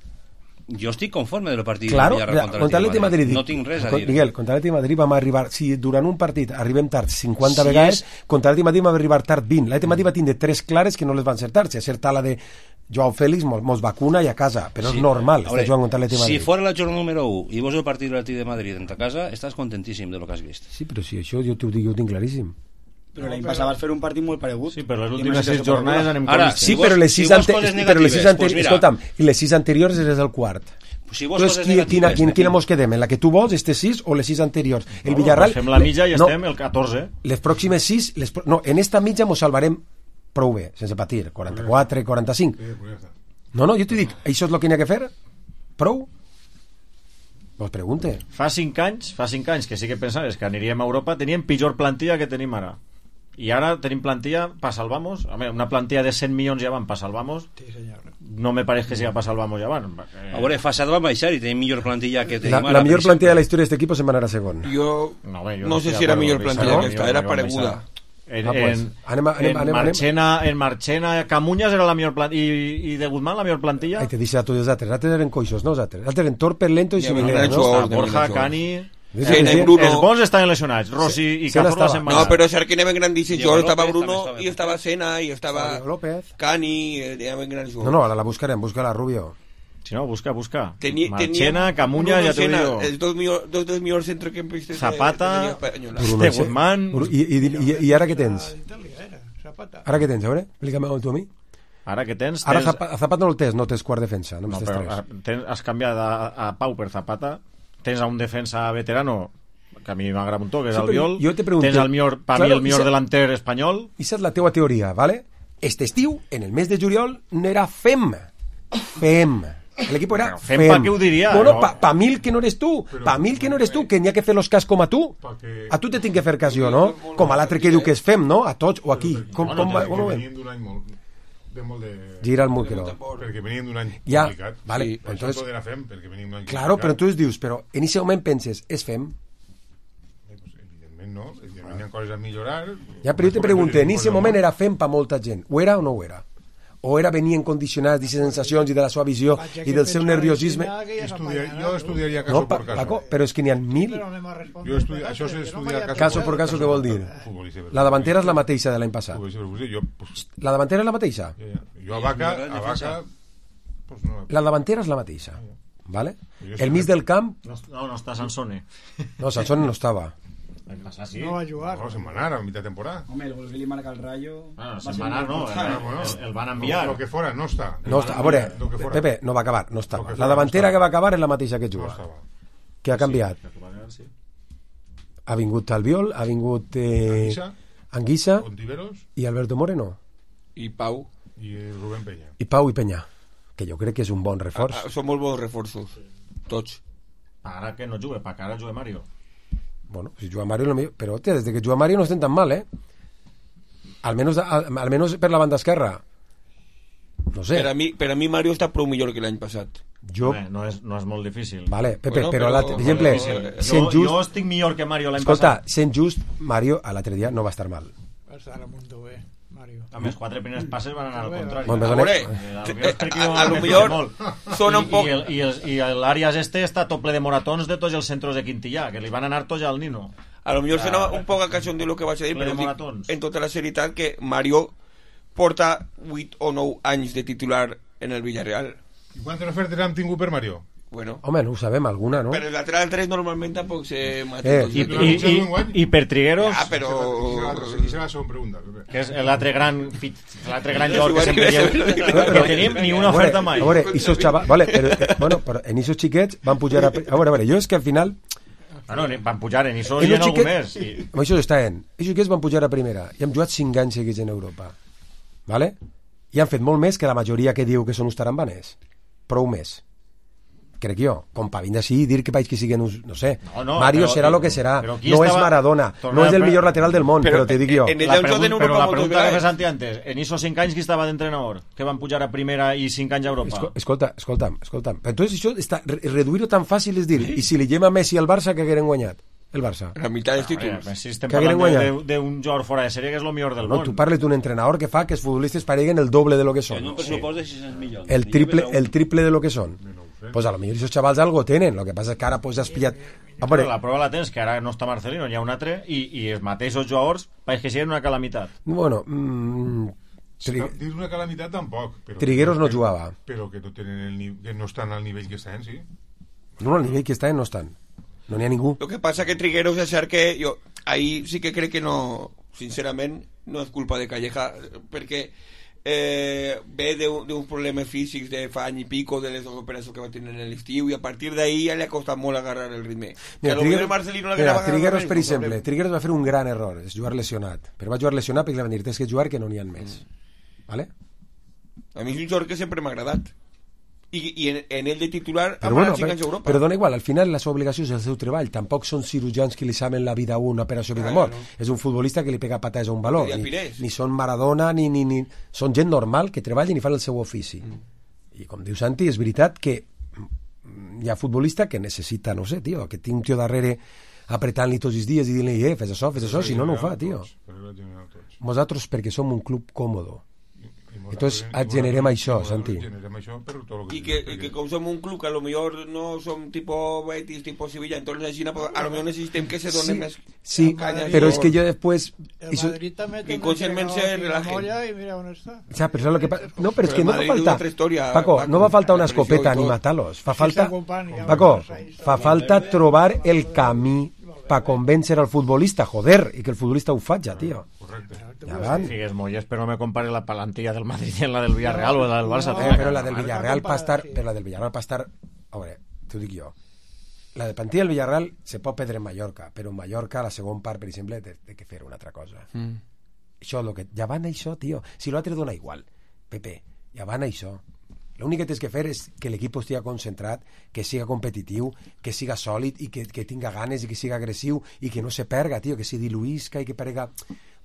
Jo estic conforme del partit
claro,
de Villarreal
contra l'Atleti de Madrid.
No tinc res a dir.
Miguel, contra l'Atleti de Madrid vam arribar... Si durant un partit arribem tard cinquanta si vegades, és... contra l'Atleti de Madrid vam arribar tard vint. L'Atleti de Madrid va tindre tres clares que no les van encertar. Si acertar la de Joao Félix, mos, mos vacuna i a casa. Però sí, és normal estar jugant contra l'Atleti de Madrid.
Si fora la jornada número u i vos el partit de l'Atleti de Madrid en ta casa, estàs contentíssim de lo que has vist.
Sí, però si això jo t'ho dic, jo ho tinc claríssim.
Però l'any passat vas fer un partit molt paregut.
Sí, però les últimes sis jornades anem
Ara, sí, però les sis, si ante però les sis anteriors, pues escolta'm, i les sis anteriors és el quart.
Pues si vos
Entonces, quina, quina, quina, quina mos quedem? En la que tu vols, este sis o les sis anteriors? El
no,
Villarreal...
Fem la mitja i no, estem el catorze.
Les pròximes sis... Les, no, en esta mitja mos salvarem prou bé, sense patir. quaranta-quatre, quaranta-cinc. No, no, jo t'ho dic, això és el que n'hi ha que fer? Prou? Vos pregunte.
Fa cinc anys, fa cinc anys que sí que pensaves que aniríem a Europa, teníem pitjor plantilla que tenim ara. I ara tenim plantilla pa salvamos, a ver, una plantilla de cent milions ja van pa salvamos.
Sí, senyor.
No me pareix que siga pa salvamos ja van.
Eh... A veure, Fasad va baixar i tenim millor plantilla que tenim
la,
ara.
La millor plantilla de la història d'aquest equip se'n va anar a segon.
Jo no, bé, jo no, no sé si era millor plantilla que esta, era pareguda.
En,
ah, pues,
en,
anem, anem,
en,
anem,
Marchena, en Marchena, Camuñas era la millor plantilla i, i de Guzmán la millor plantilla.
Ai, te deixa a tots els altres, els altres eren coixos, no els altres. Els altres eren torpes, lentos i similares,
no? Borja, Cani...
Sí, sí, Bruno...
Els bons estaven lesionats, Rossi sí, i Cazorla se'n van.
No, però cert que anaven grandíssims jugadors, estava Bruno i estava Sena i estava Cani, anaven grans jugadors.
No, no, ara la buscarem, busca-la, Rubio.
Si no, busca, busca.
Teni,
Marchena, Camuña, ja t'ho digo.
Els dos, millor, dos, dos millors centrocampistes
Zapata, de Guzmán...
I, i, i, I ara què tens? Ara què tens, a veure? Explica-me tu a mi.
Ara què tens?
Ara Zapata no el tens, no tens quart defensa. No,
no però tens, has canviat a, a Pau per Zapata. Tens a un defensa veterano que a mi m'agrada un toc, que és
sí,
el Viol.
Pregunto,
tens el millor, per claro, mi el millor delanter espanyol.
I és la teua teoria, ¿vale? Este estiu, en el mes de juliol, no era Fem. Fem. L'equip era
Fem. Fem pa què ho diria?
Bueno, no? pa, pa mil que no eres tu. Però, pa mil que no eres tu, que n'hi ha que fer los cas com a tu. Que... A tu te tinc que fer cas jo, no? Com a l'altre que diu que és Fem, no? A tots o aquí. Com,
bueno,
com, com, com
venien d'un any molt... De molt de...
Gira el Mulquero.
Perquè veníem d'un any
ja,
complicat.
Vale,
sí,
entonces...
Això era Fem, perquè veníem d'un any
claro,
complicat.
però tu dius, però en aquest moment penses, és Fem?
Eh, pues, evidentment no, evidentment hi ha coses a millorar.
Ja, però jo te pregunto, en aquest moment era Fem per molta gent, ho era o no ho era? O era venien condicionats d'aquestes sensacions i de la seva visió i del seu nerviosisme?
Estudiar, jo estudiaria caso no, por caso.
Paco, però és que n'hi ha mil.
Jo estudia, això és estudiar caso,
caso por caso, què vol dir? La davantera és la mateixa de l'any passat. La davantera és la mateixa?
Jo a Vaca, a Vaca...
La davantera és la mateixa. ¿Vale? El mig del camp...
No, no està Sansone.
No, Sansone no estava.
Sí.
No va jugar.
No, se'n va anar a mitja temporada.
Home, el Volví marca el Rayo...
Ah, se'n va anar, no, el, el van enviar.
Lo que fora, no està.
No està, a veure, Pepe, no va acabar, no estava. La davantera que va acabar és la mateixa que juga. Que ha canviat. Ha vingut Albiol, ha vingut eh, Anguissa i Alberto Moreno.
I Pau.
I Rubén Peña.
I Pau i Peña, que jo crec que és un bon reforç.
Ah, són molt bons reforços, tots.
Ara que no juga, perquè ara juga Mario.
Bueno, si juga Mario lo millor, però hòstia, des que juga Mario no estem tan mal, eh? Almenos, al, almenos per la banda esquerra. No sé.
Per a mi, per a mi Mario està prou millor que l'any passat.
Jo...
Bé, no, és, no és molt difícil.
Vale, Pepe, bueno, però, però per exemple,
jo, just... jo estic millor que Mario l'any
escolta,
passat.
Escolta, sent just, Mario a l'altre dia no va estar mal.
Va estar a mundo bé, Mario.
A més, quatre primers passes van anar al contrari.
Bon,
a veure, a lo millor sona un poc...
I, i, i l'Àrias este està tot ple de moratons de tots els centres de Quintillà, que li van anar tots al Nino.
A lo millor sona un poc a cançó de lo que vaig a dir, però dic, en tota la serietat que Mario porta vuit o nou anys de titular en el Villarreal.
I quantes ofertes han tingut per Mario?
Bueno.
Home, no ho sabem, alguna, no?
Però el lateral tres normalment tampoc se mata.
Eh, i, i, i, I per Trigueros...
Ah, però...
Aquí serà la segona pregunta.
Que és l'altre gran l'altre gran joc que sempre lleu. No tenim ni una oferta mai.
A veure, esos xavals... Vale, però, bueno, però en esos xiquets van pujar a... A veure, a veure, jo és que al final...
Bueno, van pujar en Iso i en algú més. I...
Això està en. Ells xiquets van pujar a primera i han jugat cinc anys seguits en Europa. Vale? I han fet molt més que la majoria que diu que són uns tarambanes. Prou més. crec jo, com per vindre així i dir que vaig que siguen uns, no sé,
no, no,
Mario
però,
serà el que serà, no
estava...
és Maradona, no és el millor lateral del món, però, però te dic jo.
En la pregunta, però la pregunta que fes antes, en esos cinc anys qui estava d'entrenador, que van pujar a primera i cinc anys a Europa?
Esco, escolta, escolta'm, escolta'm, però entonces això està, reduir-ho tan fàcil és dir, i si li lleva Messi al Barça, que hagueren guanyat? El Barça.
La meitat dels títols.
Si estem parlant d'un jugador fora de sèrie que és el millor del
no,
món.
Tu parles d'un entrenador que fa que els futbolistes pareguen el doble de lo que són.
En un pressupost de sis-cents milions.
El triple, el triple de lo que són. Pues a lo millor esos chavals algo tenen, lo que passa és que ara pues has pillat...
Ah, però la prova la tens, que ara no està Marcelino, hi ha un altre, i, i els mateixos jugadors pareix que siguin una calamitat.
Bueno... Mm,
tri... Dins una calamitat tampoc. Però
Trigueros no
que,
jugava.
Però que no, tenen el ni... que no estan al nivell que estan, sí.
No, al nivell que estan no estan. No n'hi ha ningú.
Lo que passa que Trigueros és cert que jo ahí sí que crec que no, sincerament, no és culpa de Calleja, perquè eh, ve d'uns problemes físics de fa any i pico, de les operacions que va tenir en l'estiu, i a partir d'ahí ja li ha costat molt agarrar el ritme.
Mira, Trigueros, mira, Trigueros per exemple, Trigueros va fer un gran error, és jugar lesionat, però va jugar lesionat perquè li van dir, tens que jugar que no n'hi ha més. Mm. ¿Vale?
A mi és un jugador que sempre m'ha agradat. I, i en, en ell de titular
però, bueno, però, Europa. Però dona igual, al final la seva obligació és el seu treball, tampoc són cirurgians que li saben la vida a una operació vida mort, ah, no. És un futbolista que li pega patades a un valor, ni, ni són Maradona ni, ni, ni... són gent normal que treballen i fan el seu ofici, mm. I com diu Santi, és veritat que hi ha futbolista que necessita, no sé, tio, que té un tio darrere apretant-li tots els dies i dient-li, eh, fes això, fes això, si no no ho fa, tio. Nosaltres perquè som un club còmodo. Entonces generem això, Santi.
I que, que com som un club que a lo millor no som tipo Betis, tipo Sevilla, entonces així, a lo millor necessitem que se donen més
sí,
canya.
Però és que jo després...
El Madrid també
que conserven ser relajen.
I mira on està.
Ja, però, que pa... no, però és que no va faltar... Paco, no va faltar una escopeta ni matar-los. Fa falta... Paco, fa falta trobar el camí para convèncer al futbolista, joder, i que el futbolista ho faci, tio.
Correcte.
Ja van.
Figues molles, però no me compare la plantilla del Madrid en la del Villarreal o la del Barça.
Eh, però la del Villarreal pa estar, però la del Villarreal pa estar, a veure, t'ho dic jo. La de plantilla del Villarreal se pot perdre en Mallorca, però en Mallorca la segon part, per exemple, té, té que fer una altra cosa. Mm. Això, lo que, ja van això, tio. Si l'altre dona igual, Pepe, ja van això. L'únic que tens que fer és que l'equip estigui concentrat, que siga competitiu, que siga sòlid i que, que tinga ganes i que siga agressiu i que no se perga, tio, que se diluïsca i que perga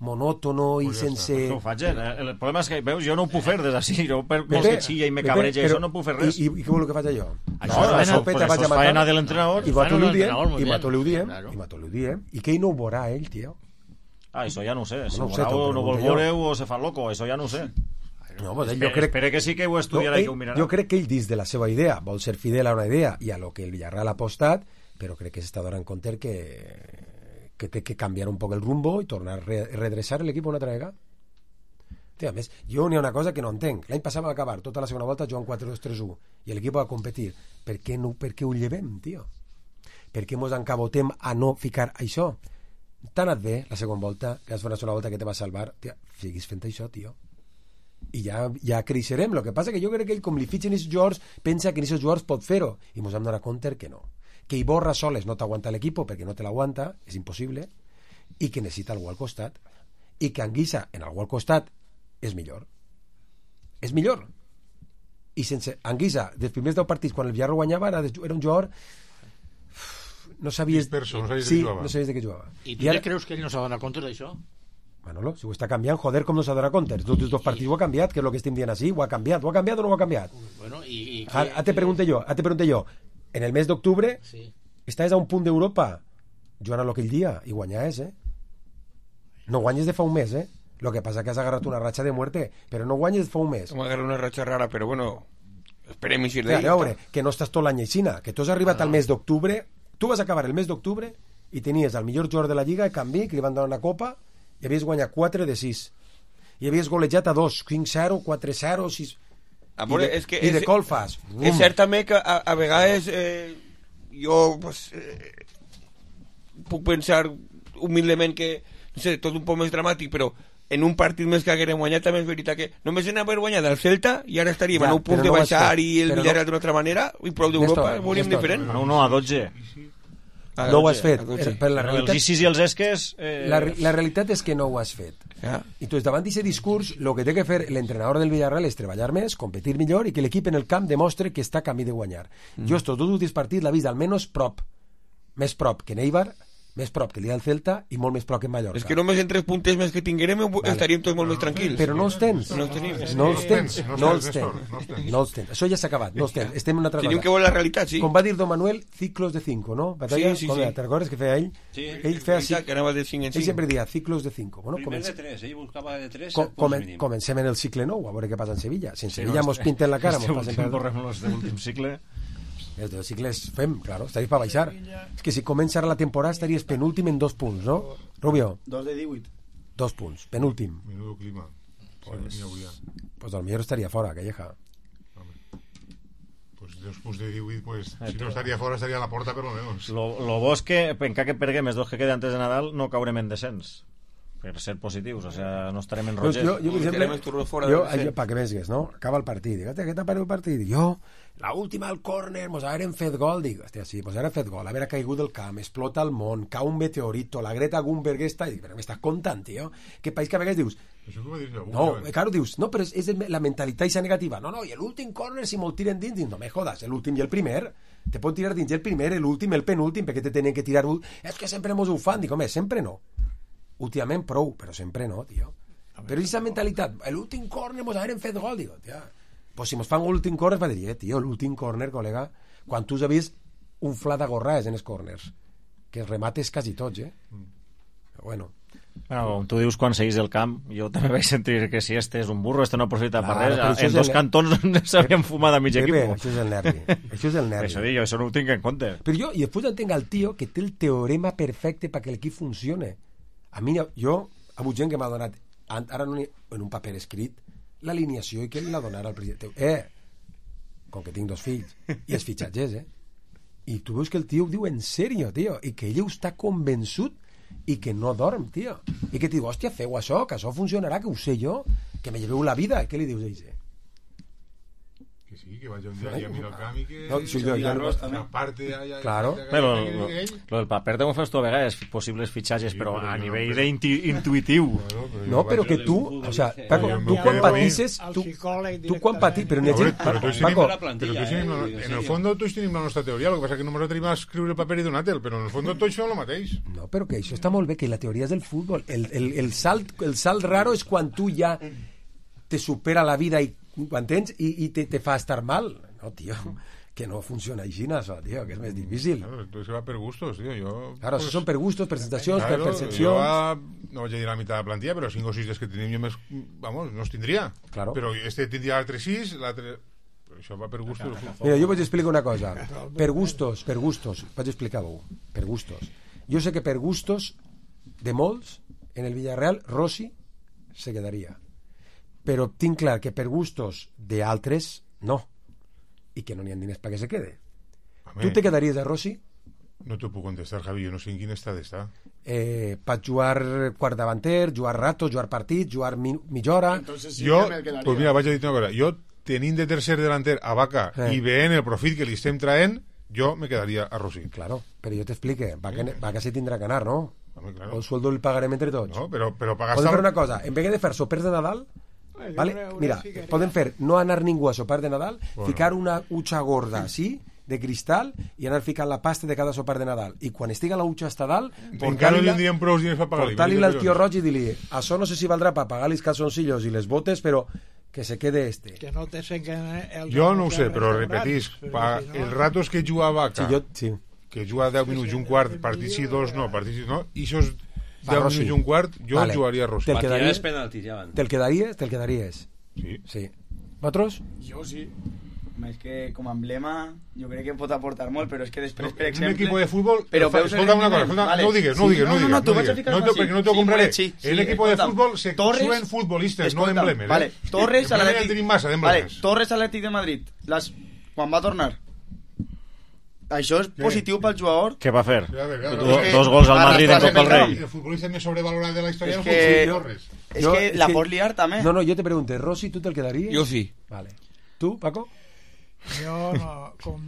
monòtono i
pues
sense...
Pues no ho faig, eh? El problema és que, veus, jo no ho puc fer des d'ací, jo per molt que xilla i me cabreja, això no puc fer res.
I, i, i què vol que faig jo?
Això no, és faena de l'entrenador.
I nosaltres ho diem, i nosaltres ho diem, i nosaltres ho diem, i que ell no ho veurà, ell, tio.
Ah, això ja no ho sé, si
no
ho veurà o no vol veure o se fa loco, això ja no ho sé.
No, pues
espere,
jo crec,
espere que sí que ho estudiarà no, ell, i que ho mirarà.
Jo crec que ell dins de la seva idea vol ser fidel a una idea i a lo que el Villarreal ha apostat, però crec que s'està donant compte que, que té que canviar un poc el rumbo i tornar a re redreçar l'equip una altra vegada. Tio, a més, jo n'hi ha una cosa que no entenc. L'any passat va acabar tota la segona volta jugant quatre dos tres u i l'equip va competir. Per què, no, per què ho llevem, tio? Per què mos encabotem a no ficar això? T'ha anat bé la segona volta, que has fet una segona volta que te va salvar, tia, siguis fent això, tio. I ja, ja creixerem. El que passa que jo crec que ell, com li fitxen aquests jugadors, pensa que aquests jugadors pot fer-ho i ens hem donat compte que no, que Iborra soles no t'aguanta l'equip perquè no te l'aguanta, és impossible, i que necessita algú al costat, i que Anguissa en algú al costat és millor és millor i sense Anguissa, dels primers deu partits quan el Villarreal guanyava era, era un jugador no sabies,
disperso, no sabies
sí,
de què jugava.
no sabies de què jugava.
I tu I ara... creus que ell no s'ha donat compte d'això?
Manolo, si ho està canviant, joder, com no s'ha donat compte. Els dos, dos partits ho ha canviat, que és el que estem dient així, ho ha canviat, ho ha canviat o no ho ha canviat?
Bueno, i, i
que, a, a te pregunte jo, a te pregunte jo, en el mes d'octubre
sí.
estàs a un punt d'Europa jugant a aquell dia i guanyes, eh? No guanyes de fa un mes, eh? Lo que passa que has agarrat una ratxa de muerte, però no guanyes de fa un mes.
Hem agarrat una ratxa rara, però bueno, esperem i si
d'ell. A veure, que no estàs tot l'any aixina, que tu has arribat ah, no. al mes d'octubre, tu vas acabar el mes d'octubre i tenies el millor jugador de la Lliga, Canvi, que li van donar una copa, i havies guanyat quatre de sis i havies golejat a dos, cinc zero, quatre zero, sis
Amore,
i de,
és que
i de
és,
col fas
és cert també que a, a vegades eh, jo pues, eh, puc pensar humilment que no sé, tot un poc més dramàtic, però en un partit més que haguem guanyat també és veritat que només en haver guanyat el Celta i ara estaríem ja, a nou punts de no baixar i el Villarreal no... d'una altra manera i prou d'Europa ho veuríem diferent.
No, no, a dotze.
No ho has fet, per la realitat...
Els I C I S i els Esques... Eh...
La, la realitat és que no ho has fet.
Ja.
Entonces, davant d'aquest discurs, el que té que fer l'entrenador del Villarreal és treballar més, competir millor i que l'equip en el camp demostre que està a camí de guanyar. Mm. Jo estos dos últims partits l'he vist almenys prop, més prop que Neibar, més prop que el dia del Celta i molt més prop que en Mallorca.
És que només en tres puntes més que tinguérem vale. estaríem tots molt més tranquils.
Però no els tens.
No els tenim.
No els tens. No els tens. No els tens. Això ja s'ha acabat. No els tens. Estem en una altra cosa.
Tenim que veure la realitat, sí.
Com va dir Don Manuel, ciclos de cinco, no? Batalla,
sí, sí, sí.
Te'n recordes que feia ell?
Sí.
Ell feia
sí, que anava de cinc en cinc.
Ell sempre dia ciclos de cinco. Bueno,
primer de tres, ell buscava de tres.
Com, comen, comencem en el cicle nou, a veure què passa en Sevilla. Si en sí, Sevilla no, mos pinten la cara, mos passen
per... Correm los de últim cicle...
Els dos cicles fem, claro, estaries per baixar. És que si comença la temporada estaries penúltim en dos punts, no? Rubio?
Dos de divuit.
Dos punts, penúltim.
Menudo clima.
Pues, pues al millor estaria fora, Calleja.
Pues dos punts de divuit, pues si no estaria fora estaria a la porta per lo menos.
Lo, lo bo és que, encara que perguem els dos que queden antes de Nadal, no caurem en descens. Per ser positius, o sea, no estarem en rogers.
Jo, jo, per exemple, jo, jo pa que vesgues, no? Acaba el partit, dic, què t'ha parat el partit? Jo, la última al córner, mos hagueren fet gol, dic, hòstia, sí, mos hagueren fet gol, haver caigut del camp, explota el món, cau un meteorito, la Greta Thunberg està, i dic, però m'estàs contant, tio? Que país que a vegades dius...
Això com va dir segur,
no, claro, dius, no, però és, és la mentalitat esa negativa. No, no, i l'últim córner, si me'l tiren dins, dic, no me jodas, l'últim i el primer, te pot tirar dins el primer, l'últim, el penúltim, perquè te tenen que tirar... És que sempre mos ho fan, dic, home, sempre no. Últimament prou, però sempre no, tio. Però aquesta mentalitat, l'últim córner mos hagueren fet gol, digo, tia, pues si mos fan l'últim córner va dir, eh, tio, l'últim córner, col·lega, quan tu has vist un flat d'agorrades en els córners, que els remates quasi tots, eh? Però bueno.
Bueno, com tu dius, quan seguís el camp, jo també vaig sentir que si este és un burro, este no aprofita per res, en dos cantons s'havien fumat a mig equip.
Això és el nervi, això és el nervi.
Això, jo, això no ho tinc en compte.
Però jo, i després entenc el tio que té el teorema perfecte perquè l'equip funcione. A mi, jo, ha hagut gent que m'ha donat, ara no, en un paper escrit, l'alineació i que l'ha donat al president. Eh, com que tinc dos fills, i els fitxatges, eh? I tu veus que el tio ho diu en sèrio, tio, i que ell està convençut i que no dorm, tio. I que et diu, hòstia, feu això, que això funcionarà, que ho sé jo, que me lleveu la vida. I què li dius a ell?
Que sí, que vaya un día a mirar el camp y que...
No, sí, yo, yo,
arroz, aparte haya...
Claro. Pero lo, lo del paper de fas tu a vegades possibles fitxatges, sí, però a no, nivell no, d'intuitiu.
Claro, no, però que tu, o sea, Paco, tu quan patisses, tu, tu quan patisses, però n'hi ha gent...
Paco, però en el fons tots tenim la nostra teoria, el que passa que només tenim a escriure el paper i donar-te'l, però en el fons tots fem el mateix.
No, però que això està molt bé, que la teoria és del futbol. El, el, el, salt, el salt raro és quan tu ja te supera la vida i m'entens? I, i te, te fa estar mal. No, tio, que no funciona així, això, tio, que és més difícil.
Claro, entonces va per gustos, tio. Jo,
claro, pues, això són per gustos, per sensacions,
claro,
per percepcions.
Jo, a, no vaig a dir la meitat de la plantilla, però cinc o sis des que tenim jo més... Vamos, no els tindria. Claro. Però este tindria l'altre sis, l'altre... Però això va per gustos.
Mira, jo vaig explicar una cosa. Per gustos, per gustos, vaig explicar-ho. Per gustos. Jo sé que per gustos de molts, en el Villarreal, Rossi se quedaria. Però tinc clar que per gustos d'altres, no. I que no n'hi ha diners perquè se quede. Home, tu te quedaries a Rossi?
No t'ho puc contestar, Javi, jo no sé en quin estat està.
Eh, per jugar quart davanter, jugar rato, jugar partit, jugar mi, mitja hora...
Entonces, sí, jo, pues mira, vaig a dir una cosa. Jo, tenint de tercer delanter a Vaca eh. i veient el profit que li estem traent, jo me quedaria a Rossi.
Claro, però jo t'explique. Vaca, sí. Vaca se tindrà que anar, ¿no?
Home, claro.
El sueldo el pagarem entre tots.
No, però, però pagar...
Podem fer una cosa. En vez de fer sopers de Nadal... Vale? Mira, poden fer no anar ningú a sopar de Nadal, bueno. Ficar una utxa gorda així, de cristal, i anar ficant la pasta de cada sopar de Nadal. I quan estiga la utxa hasta dalt,
encara no tindríem prou diners per pagar-li.
Portar-li al tio Roig i dir-li, això no sé si valdrà per pagar els calzoncillos i les botes, però que se quede este.
Que no te el
jo no ho sé, però repetís, pa, si no... els ratos que juga a Vaca,
sí, jo, sí.
que juga deu minuts i un quart, partit sí, dos no, partit sí no, i això és deu minuts i un quart, jo vale. Jugaria a Rossi.
Te'l quedaries?
Penalti, ja
te'l quedaries? Te'l quedaries?
Sí.
Sí. ¿Vosaltres?
Jo sí. És que com a emblema jo crec que pot aportar molt, però és que després, no, per exemple...
Un equip de futbol...
Però
escolta una cosa, escolta, vale. no ho digues, no ho digues, no ho digues.
No, no, no, tu vas a ficar
no, perquè no t'ho
sí,
compraré.
Sí, sí,
el equip de futbol se suben futbolistes, no emblemes.
Vale, Torres a l'Atlètic...
Vale,
Torres a l'Atlètic de Madrid. Les... Quan va tornar... Això és positiu pel jugador.
Què va fer? Dos gols al Madrid en Copa del Rei.
El futbolista més sobrevalorat de la història del futbol, Torres.
És que la pots liar també.
No, no, jo te pregunto, Rossi, tu te'l quedaries?
Jo sí.
Vale. Tu, Paco?
Jo no, com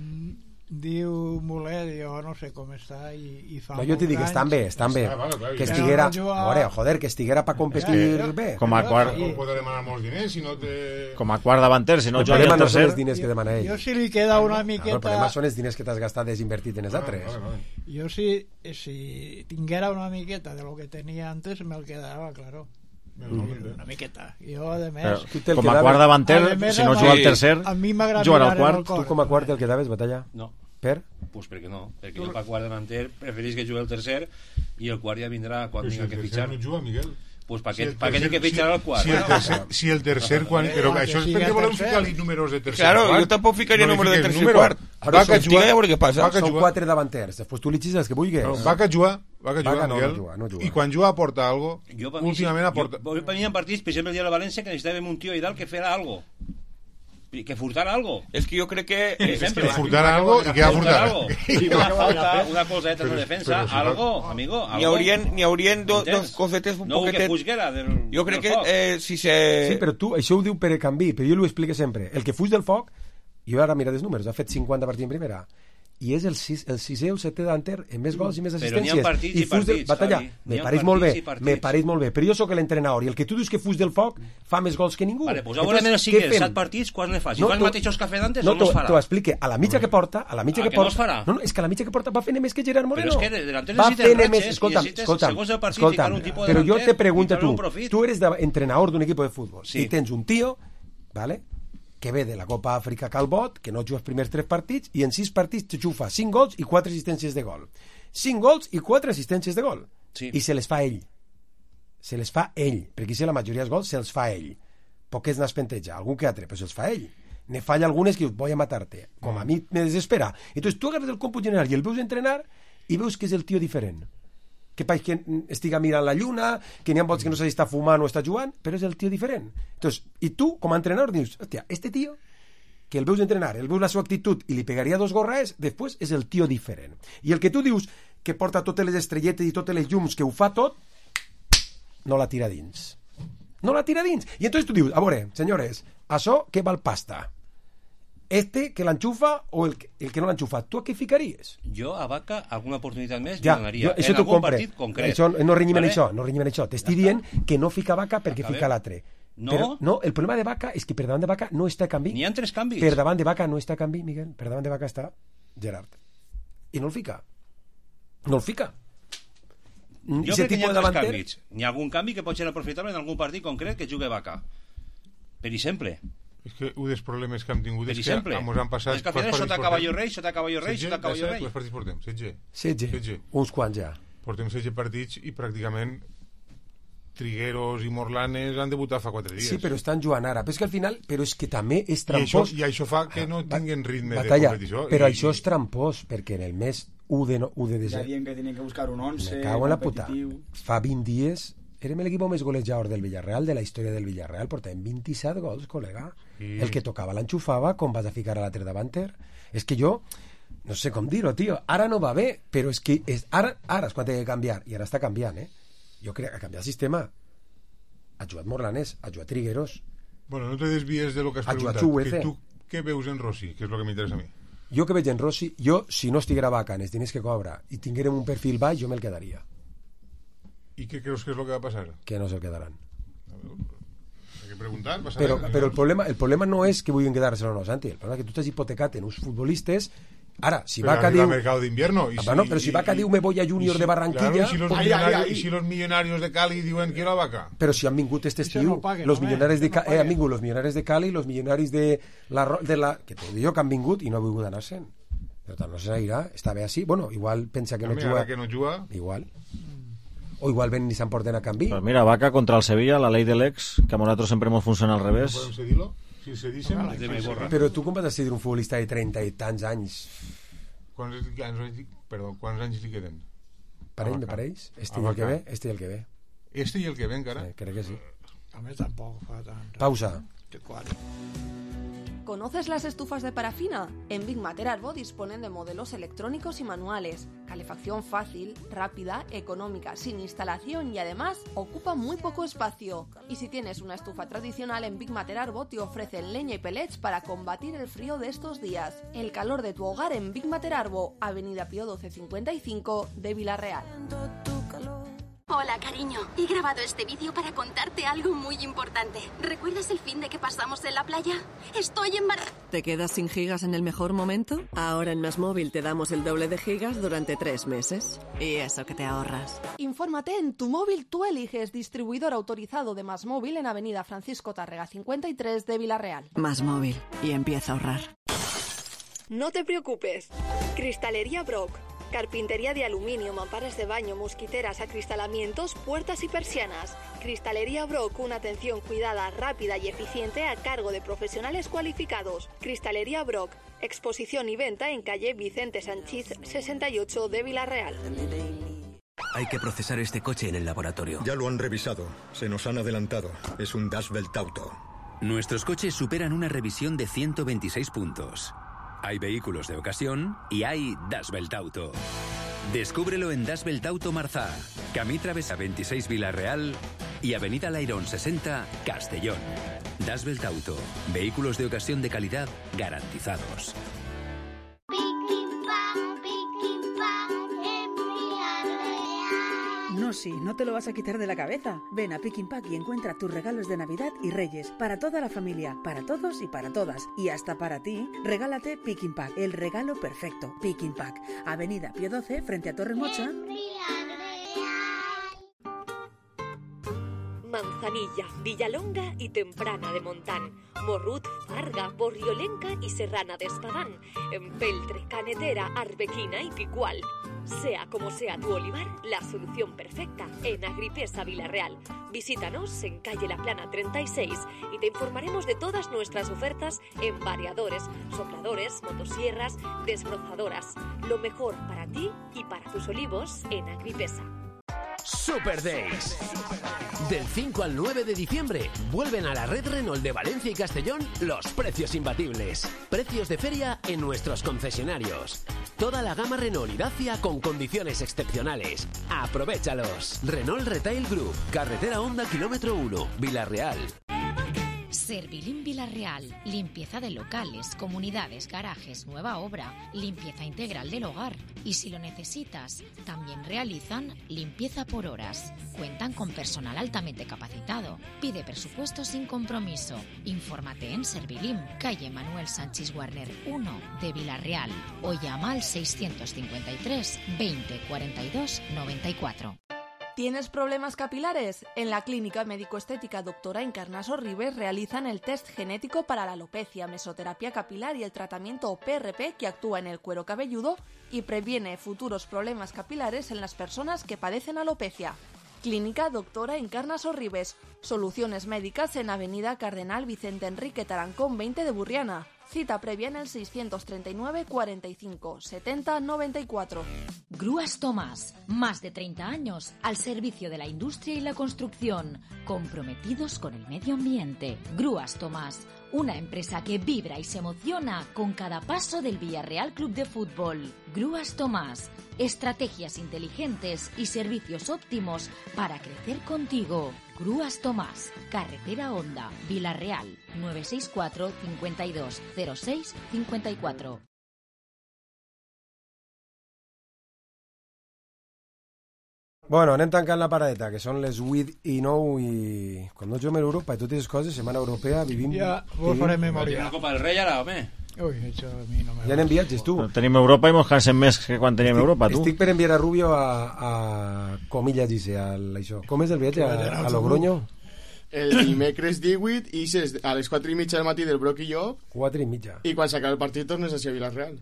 diu Mulet, jo no sé com està i, i fa
no, jo t'hi dic, estan bé, estan bé que estiguera, a veure, joder, que estiguera per competir bé
com a quart
no pot demanar molts diners si no té...
com a quart davanter, si no
el problema no són els diners que demana ell,
jo si li queda una miqueta
el problema són els diners que t'has gastat desinvertit en els altres.
Jo si, si tinguera una miqueta de lo que tenia antes me'l quedava, claro. Una miqueta. Jo, a més...
Com a quart davanter, si no juga al tercer, jugarà al quart.
Tu com a quart el quedaves, Batalla?
No.
Per?
Pues perquè no, perquè jo per quart davanter preferís que jugui el tercer i el quart ja vindrà quan tinga que fitxar.
Però si el tercer no juga, Miguel.
Pues pa què tinc que fitxar al quart?
Si el tercer, si el tercer quan... Però això és perquè volem ficar-li números de tercer
claro, quart. Jo tampoc ficaria números de tercer quart.
Vaca juga, a veure què passa. Són quatre davanters, després tu li xis els que vulguis.
Vaca juga, Vaca juga, Miguel. I quan juga aporta algo. Últimament aporta...
Jo per mi en partits, per exemple el dia de la València, que necessitàvem un tio i dalt que fera algo. Que furtara algo.
Es que yo creo que...
Es que furtara algo y que va a furtar.
Una falta, una colzeta en la defensa, algo, amigo, algo.
Ni haurien, ni haurien do, dos cosetes un
no,
poquetet...
No, que fusguera del,
Jo crec
del
que
foc.
eh, si se...
Sí, però tu, això ho diu Pere Canví, però jo l'ho explico sempre. El que fuig del foc, jo ara mira els números, ha fet cinquanta partits en primera, i és el, sis, el sisè o el setè davanter en més gols i més assistències.
Però n'hi ha partits i, i partits,
del... Batalla, me pareix molt bé, me pareix molt bé, però jo sóc l'entrenador i el que tu dius que fuig del foc fa més gols que ningú.
Vale, pues ara menos sí que set partits, quan ne fa? Si no, fa els mateixos que ha fet antes, no, no es farà.
No, t'ho explique, a la mitja que porta, a la mitja
ah,
que porta...
no es farà?
No, no, és que a la mitja que porta va fent més que Gerard Moreno.
Però és que delanter necessites ratxes,
escolta'm, escolta'm,
segons el partit,
escolta'm,
un tipus de
però jo te pregunto tu, tu eres entrenador d'un equip de futbol i tens un tio, vale, que ve de la Copa Àfrica Calbot, que no juga els primers tres partits, i en sis partits te xufa cinc gols i quatre assistències de gol. cinc gols i quatre assistències de gol.
Sí.
I se les fa ell. Se les fa ell, perquè si la majoria dels gols se'ls fa ell. Poquets n'has penteja, algun que altre, però se'ls fa ell. Ne falla algunes que dius, voy a matarte. Com a mi me desespera. Entonces tu agarres el còmput general i el veus entrenar i veus que és el tio diferent. Que pareix que estiga mirant la lluna, que n'hi ha volts que no sé si està fumant o està jugant, però és el tio diferent. Entonces, i tu, com a entrenador, dius, hòstia, este tio, que el veus entrenar, el veus la seva actitud i li pegaria dos gorraes, després és el tio diferent. I el que tu dius, que porta totes les estrelletes i totes les llums, que ho fa tot, no la tira dins. No la tira dins. I entonces tu dius, a veure, senyores, això que val pasta? Este que l'enxufa o el que, el que no l'enxufa, tu a què ficaries?
Jo a Vaca alguna oportunitat més
ja,
li donaria
jo, això
en algun
compre.
partit concret.
Això, no rinyem
vale?
això, no rinyem això. T'estic dient que no fica Vaca perquè
a
fica
ver.
l'altre.
No?
Però, no, el problema de Vaca és que per davant de Vaca no està canvi.
N'hi ha tres canvis.
Per davant de Vaca no està canvi, Miguel. Per davant de Vaca està Gerard. I no el fica. No el fica.
Jo crec que n'hi ha tres canvis. N'hi ha algun canvi que pot ser aprofitable en algun partit concret que jugui Vaca. Per exemple.
És que un dels problemes que hem tingut
per
és
exemple,
que ens han passat...
És que al final sota Caballo Rei, sota Caballo Rei, sota Caballo Rei.
Quants partits portem? setze?
setze. Uns quants ja.
Portem setze partits i pràcticament Trigueros i Morlanes han debutat fa quatre dies.
Sí, però estan jugant ara. Però és que al final, però és que també és trampós.
I això, i això fa que no tinguin ritme
Batalla,
de competició.
Però
i...
això és trampós, perquè en el mes u de, no, u de
Ja
desembre...
dient que tenen que buscar un once
Me cago en la puta.
competitiu.
Fa vint dies érem l'equip més golejador del Villarreal, de la història del Villarreal. Portàvem vint-i-set gols, col·lega. Sí. El que tocava l'enxufava, com vas a ficar a l'altre davanter. És que jo, no sé com dir-ho, tio. Ara no va bé, però és que és, ara, ara és quan té que canviar. I ara està canviant, eh? Jo crec que ha canviat el sistema. Ha jugat Morlanes, ha jugat Trigueros.
Bueno, no te desvies de lo que has
ha
preguntat. Que tu què veus en Rossi? Que és el que m'interessa a mi.
Jo que veig en Rossi, jo, si no estiguera Vaca en els diners que cobra i tinguérem un perfil baix, jo me'l quedaria.
I què creus que és el que va passar?
Que no se'l quedaran.
Hay que preguntar.
Però, però el, problema, el problema no és que vulguin quedar-se o no, Santi. El problema és que tu t'has hipotecat en uns futbolistes. Ara, si
pero
Vaca diu...
mercado de invierno. Y
ah,
si,
no, pero si Vaca diu me voy a Junior
si,
de Barranquilla...
Claro, y, si los
pues,
millonarios, ay, ay, ay. y si los millonarios de Cali diuen quiero a Vaca.
Pero si han vingut este estiu, no pague, los no, millonarios de no Cali, eh, han vingut los millonarios de Cali, los millonarios de la... De la que te digo que han vingut i no ha vingut anar-se'n. Però tant, no se n'irà, està bé així. Bueno, igual pensa que no
També,
juga...
que no juga...
Igual. O igual ven i s'emporten a canvi.
Pues mira, Vaca contra el Sevilla, la ley del ex, que a nosaltres sempre hemos funciona al revés.
No podem cedir-lo? Si cedíssim...
Però tu com vas decidir un futbolista de trenta i tants anys?
Quants anys, perdó, quants anys li queden?
Parell, me pareix? Este i el que ve? Este i el que ve.
Este i el que ve encara?
Sí, crec que sí.
A més tampoc fa tant.
Pausa.
¿Conoces las estufas de parafina? En Big Mater Arbo disponen de modelos electrónicos y manuales, calefacción fácil, rápida, económica, sin instalación y además ocupa muy poco espacio. Y si tienes una estufa tradicional, en Big Mater Arbo te ofrecen leña y pellets para combatir el frío de estos días. El calor de tu hogar en Big Mater Arbo, Avenida Pío doce cincuenta y cinco de Villarreal.
Hola, cariño. He grabado este vídeo para contarte algo muy importante. ¿Recuerdas el fin de que pasamos en la playa? Estoy embarazada.
¿Te quedas sin gigas en el mejor momento? Ahora en MásMóvil te damos el doble de gigas durante tres meses. Y eso que te ahorras.
Infórmate en Tu Móvil Tú Eliges, distribuidor autorizado de MásMóvil en Avenida Francisco Tárrega cincuenta y tres de Villarreal.
MásMóvil. Y empieza a ahorrar.
No te preocupes. Cristalería Brock. Carpintería de aluminio, mamparas de baño, mosquiteras, acristalamientos, puertas y persianas. Cristalería Brock, una atención cuidada, rápida y eficiente a cargo de profesionales cualificados. Cristalería Brock, exposición y venta en calle Vicente Sanchís sesenta y ocho de Villarreal.
Hay que procesar este coche en el laboratorio.
Ya lo han revisado. Se nos han adelantado. Es un Das Welt Auto.
Nuestros coches superan una revisión de ciento veintiséis puntos. Hay vehículos de ocasión y hay Das Welt Auto. Descúbrelo en Das Welt Auto Marzá, Camí Travesa veintiséis Villarreal y Avenida Lairón sesenta Castellón. Das Welt Auto. Vehículos de ocasión de calidad garantizados.
No, sí, no te lo vas a quitar de la cabeza. Ven a Pick Pack y encuentra tus regalos de Navidad y Reyes. Para toda la familia, para todos y para todas. Y hasta para ti, regálate Pick Pack, el regalo perfecto. Pick Pack, Avenida Pío doce, frente a Torremocha.
Manzanilla, Villalonga y Temprana de Montán, Morrut, Farga, Borriolenca y Serrana de Espadán, Empeltre, Canetera, Arbequina y Picual. Sea como sea tu olivar, la solución perfecta en Agripesa Villarreal. Visítanos en calle La Plana treinta y seis y te informaremos de todas nuestras ofertas en variadores, sopladores, motosierras, desbrozadoras. Lo mejor para ti y para tus olivos en Agripesa.
Super Days. Del cinco al nueve de diciembre vuelven a la red Renault de Valencia y Castellón los precios imbatibles. Precios de feria en nuestros concesionarios. Toda la gama Renault y Dacia con condiciones excepcionales. ¡Aprovéchalos! Renault Retail Group, carretera Honda kilómetro uno, Villarreal.
Servilim Villarreal, limpieza de locales, comunidades, garajes, nueva obra, limpieza integral del hogar. Y si lo necesitas, también realizan limpieza por horas. Cuentan con personal altamente capacitado. Pide presupuesto sin compromiso. Infórmate en Servilim, calle Manuel Sánchez Warner uno de Villarreal o llama al seiscientos cincuenta y tres veinte cuarenta y dos noventa y cuatro.
¿Tienes problemas capilares? En la Clínica Médico-Estética Doctora Encarnaso Ribes realizan el test genético para la alopecia, mesoterapia capilar y el tratamiento P R P que actúa en el cuero cabelludo y previene futuros problemas capilares en las personas que padecen alopecia. Clínica Doctora Encarnaso Ribes. Soluciones médicas en Avenida Cardenal Vicente Enrique Tarancón veinte de Burriana. Cita previa en el seiscientos treinta y nueve cuarenta y cinco setenta noventa y cuatro.
Grúas Tomás, más de treinta años al servicio de la industria y la construcción, comprometidos con el medio ambiente. Grúas Tomás, una empresa que vibra y se emociona con cada paso del Villarreal Club de Fútbol. Grúas Tomás, estrategias inteligentes y servicios óptimos para crecer contigo. Grúas Tomás, carretera Honda, Villarreal, nueve seis cuatro cincuenta y dos cero seis cincuenta y cuatro.
Bueno, anem tancant la paradeta, que són les vuit i nou i... Quan no juguem a Europa i totes les coses, Setmana Europea, vivim...
Ja, vos faré memòria.
Una Copa del Rei ara, home.
Ui, això a mi no me...
Ja anem viatges, tu.
Tenim Europa i mos cansem més que quan teníem
estic,
Europa, tu.
Estic per enviar a Rubio a, a Comillas, dice, al, això. Com és el viatge? A, a Logroño?
El dimecres divuit i a les quatre i mitja del matí del Broc i jo.
quatre i mitja.
I quan s'acaba el partit tornes a Villarreal.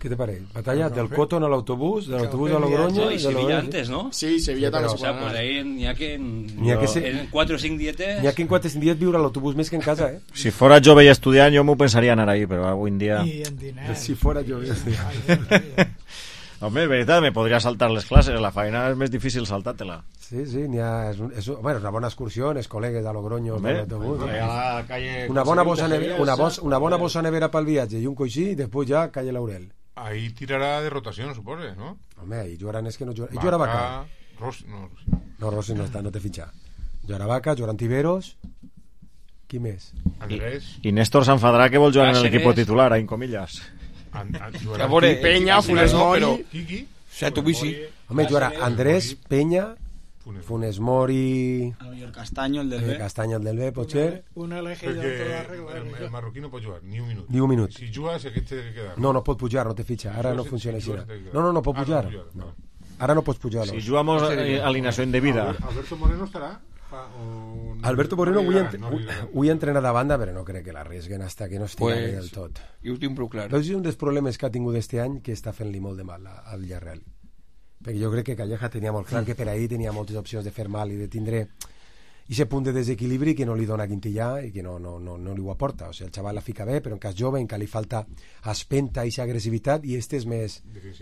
¿Qué te parece? Batalla no, no, del Cotton al autobús, del autobús a Logroño...
No, y Sevilla antes, ¿no?
Sí, Sevilla sí, también.
O sea, pues ahí n'hi ha que en,
ha que se...
en quatre o cinc dietes...
N'hi ha que en quatre o cinc dies viure a l'autobús més que en casa, eh?
Si fora jove i estudiant, jo m'ho pensaria anar ahí, però avui en dia...
I en diners.
Si fora jove i estudiant.
Home, de veritat, me podria saltar les classes, la feina és més difícil saltar-te-la.
Sí, sí, n'hi ha... És, un, és, bueno, una bona excursió, els col·legues de Logroño.
Hombre,
d'autobús.
pues, a la calle
Una bona
Conseguir
bossa
de
nevera,
Sevilla,
una, bos,
esa,
una bona
pues,
bossa nevera pel viatge i un coixí, i després ja calle Laurel.
Ahí tirarà de rotació, suposo, no?
Home, ahí jugaran és que no jugaran... Vaca, Vaca.
Ros, no,
no, Rossi no, està, no té fitxa. Jugarà Vaca, jugaran Tiberos... Qui més?
Andrés.
I, i Néstor s'enfadarà que vol jugar en l'equip titular, en comillas.
An, an,
a veure,
Peña, Funes Mori...
Quiqui?
Sato Bici.
Home, jugarà Andrés, Peña, Funes Mori...
A lo mejor Castaño, el del B.
Castaño, el del B, potser...
Un elegit de tota regla.
El, el marroquí no pot jugar, ni un minut.
Ni un minut.
Si juga, aquest té que quedar.
No, no pot pujar, no té fitxa. Ara no funciona així. No, no, no pot pujar. No. Ara no pots pujar.
Si jugamos alineació indebida.
Alberto Moreno estarà? O...
Alberto Moreno avui, ent... avui entrena de banda, però no crec que l'arrisguen hasta que no estigui pues, del tot.
I ho tinc prou clar.
És un dels problemes que ha tingut este any que està fent-li molt de mal al Villarreal. Perquè jo crec que Calleja tenia molt clar que per ahir tenia moltes opcions de fer mal i de tindre aquest punt de desequilibri que no li dona Quintillà i que no, no, no, no li ho aporta. O sigui, el xaval la fica bé, però en cas jove, en què li falta espenta i agressivitat, i este és més,
és...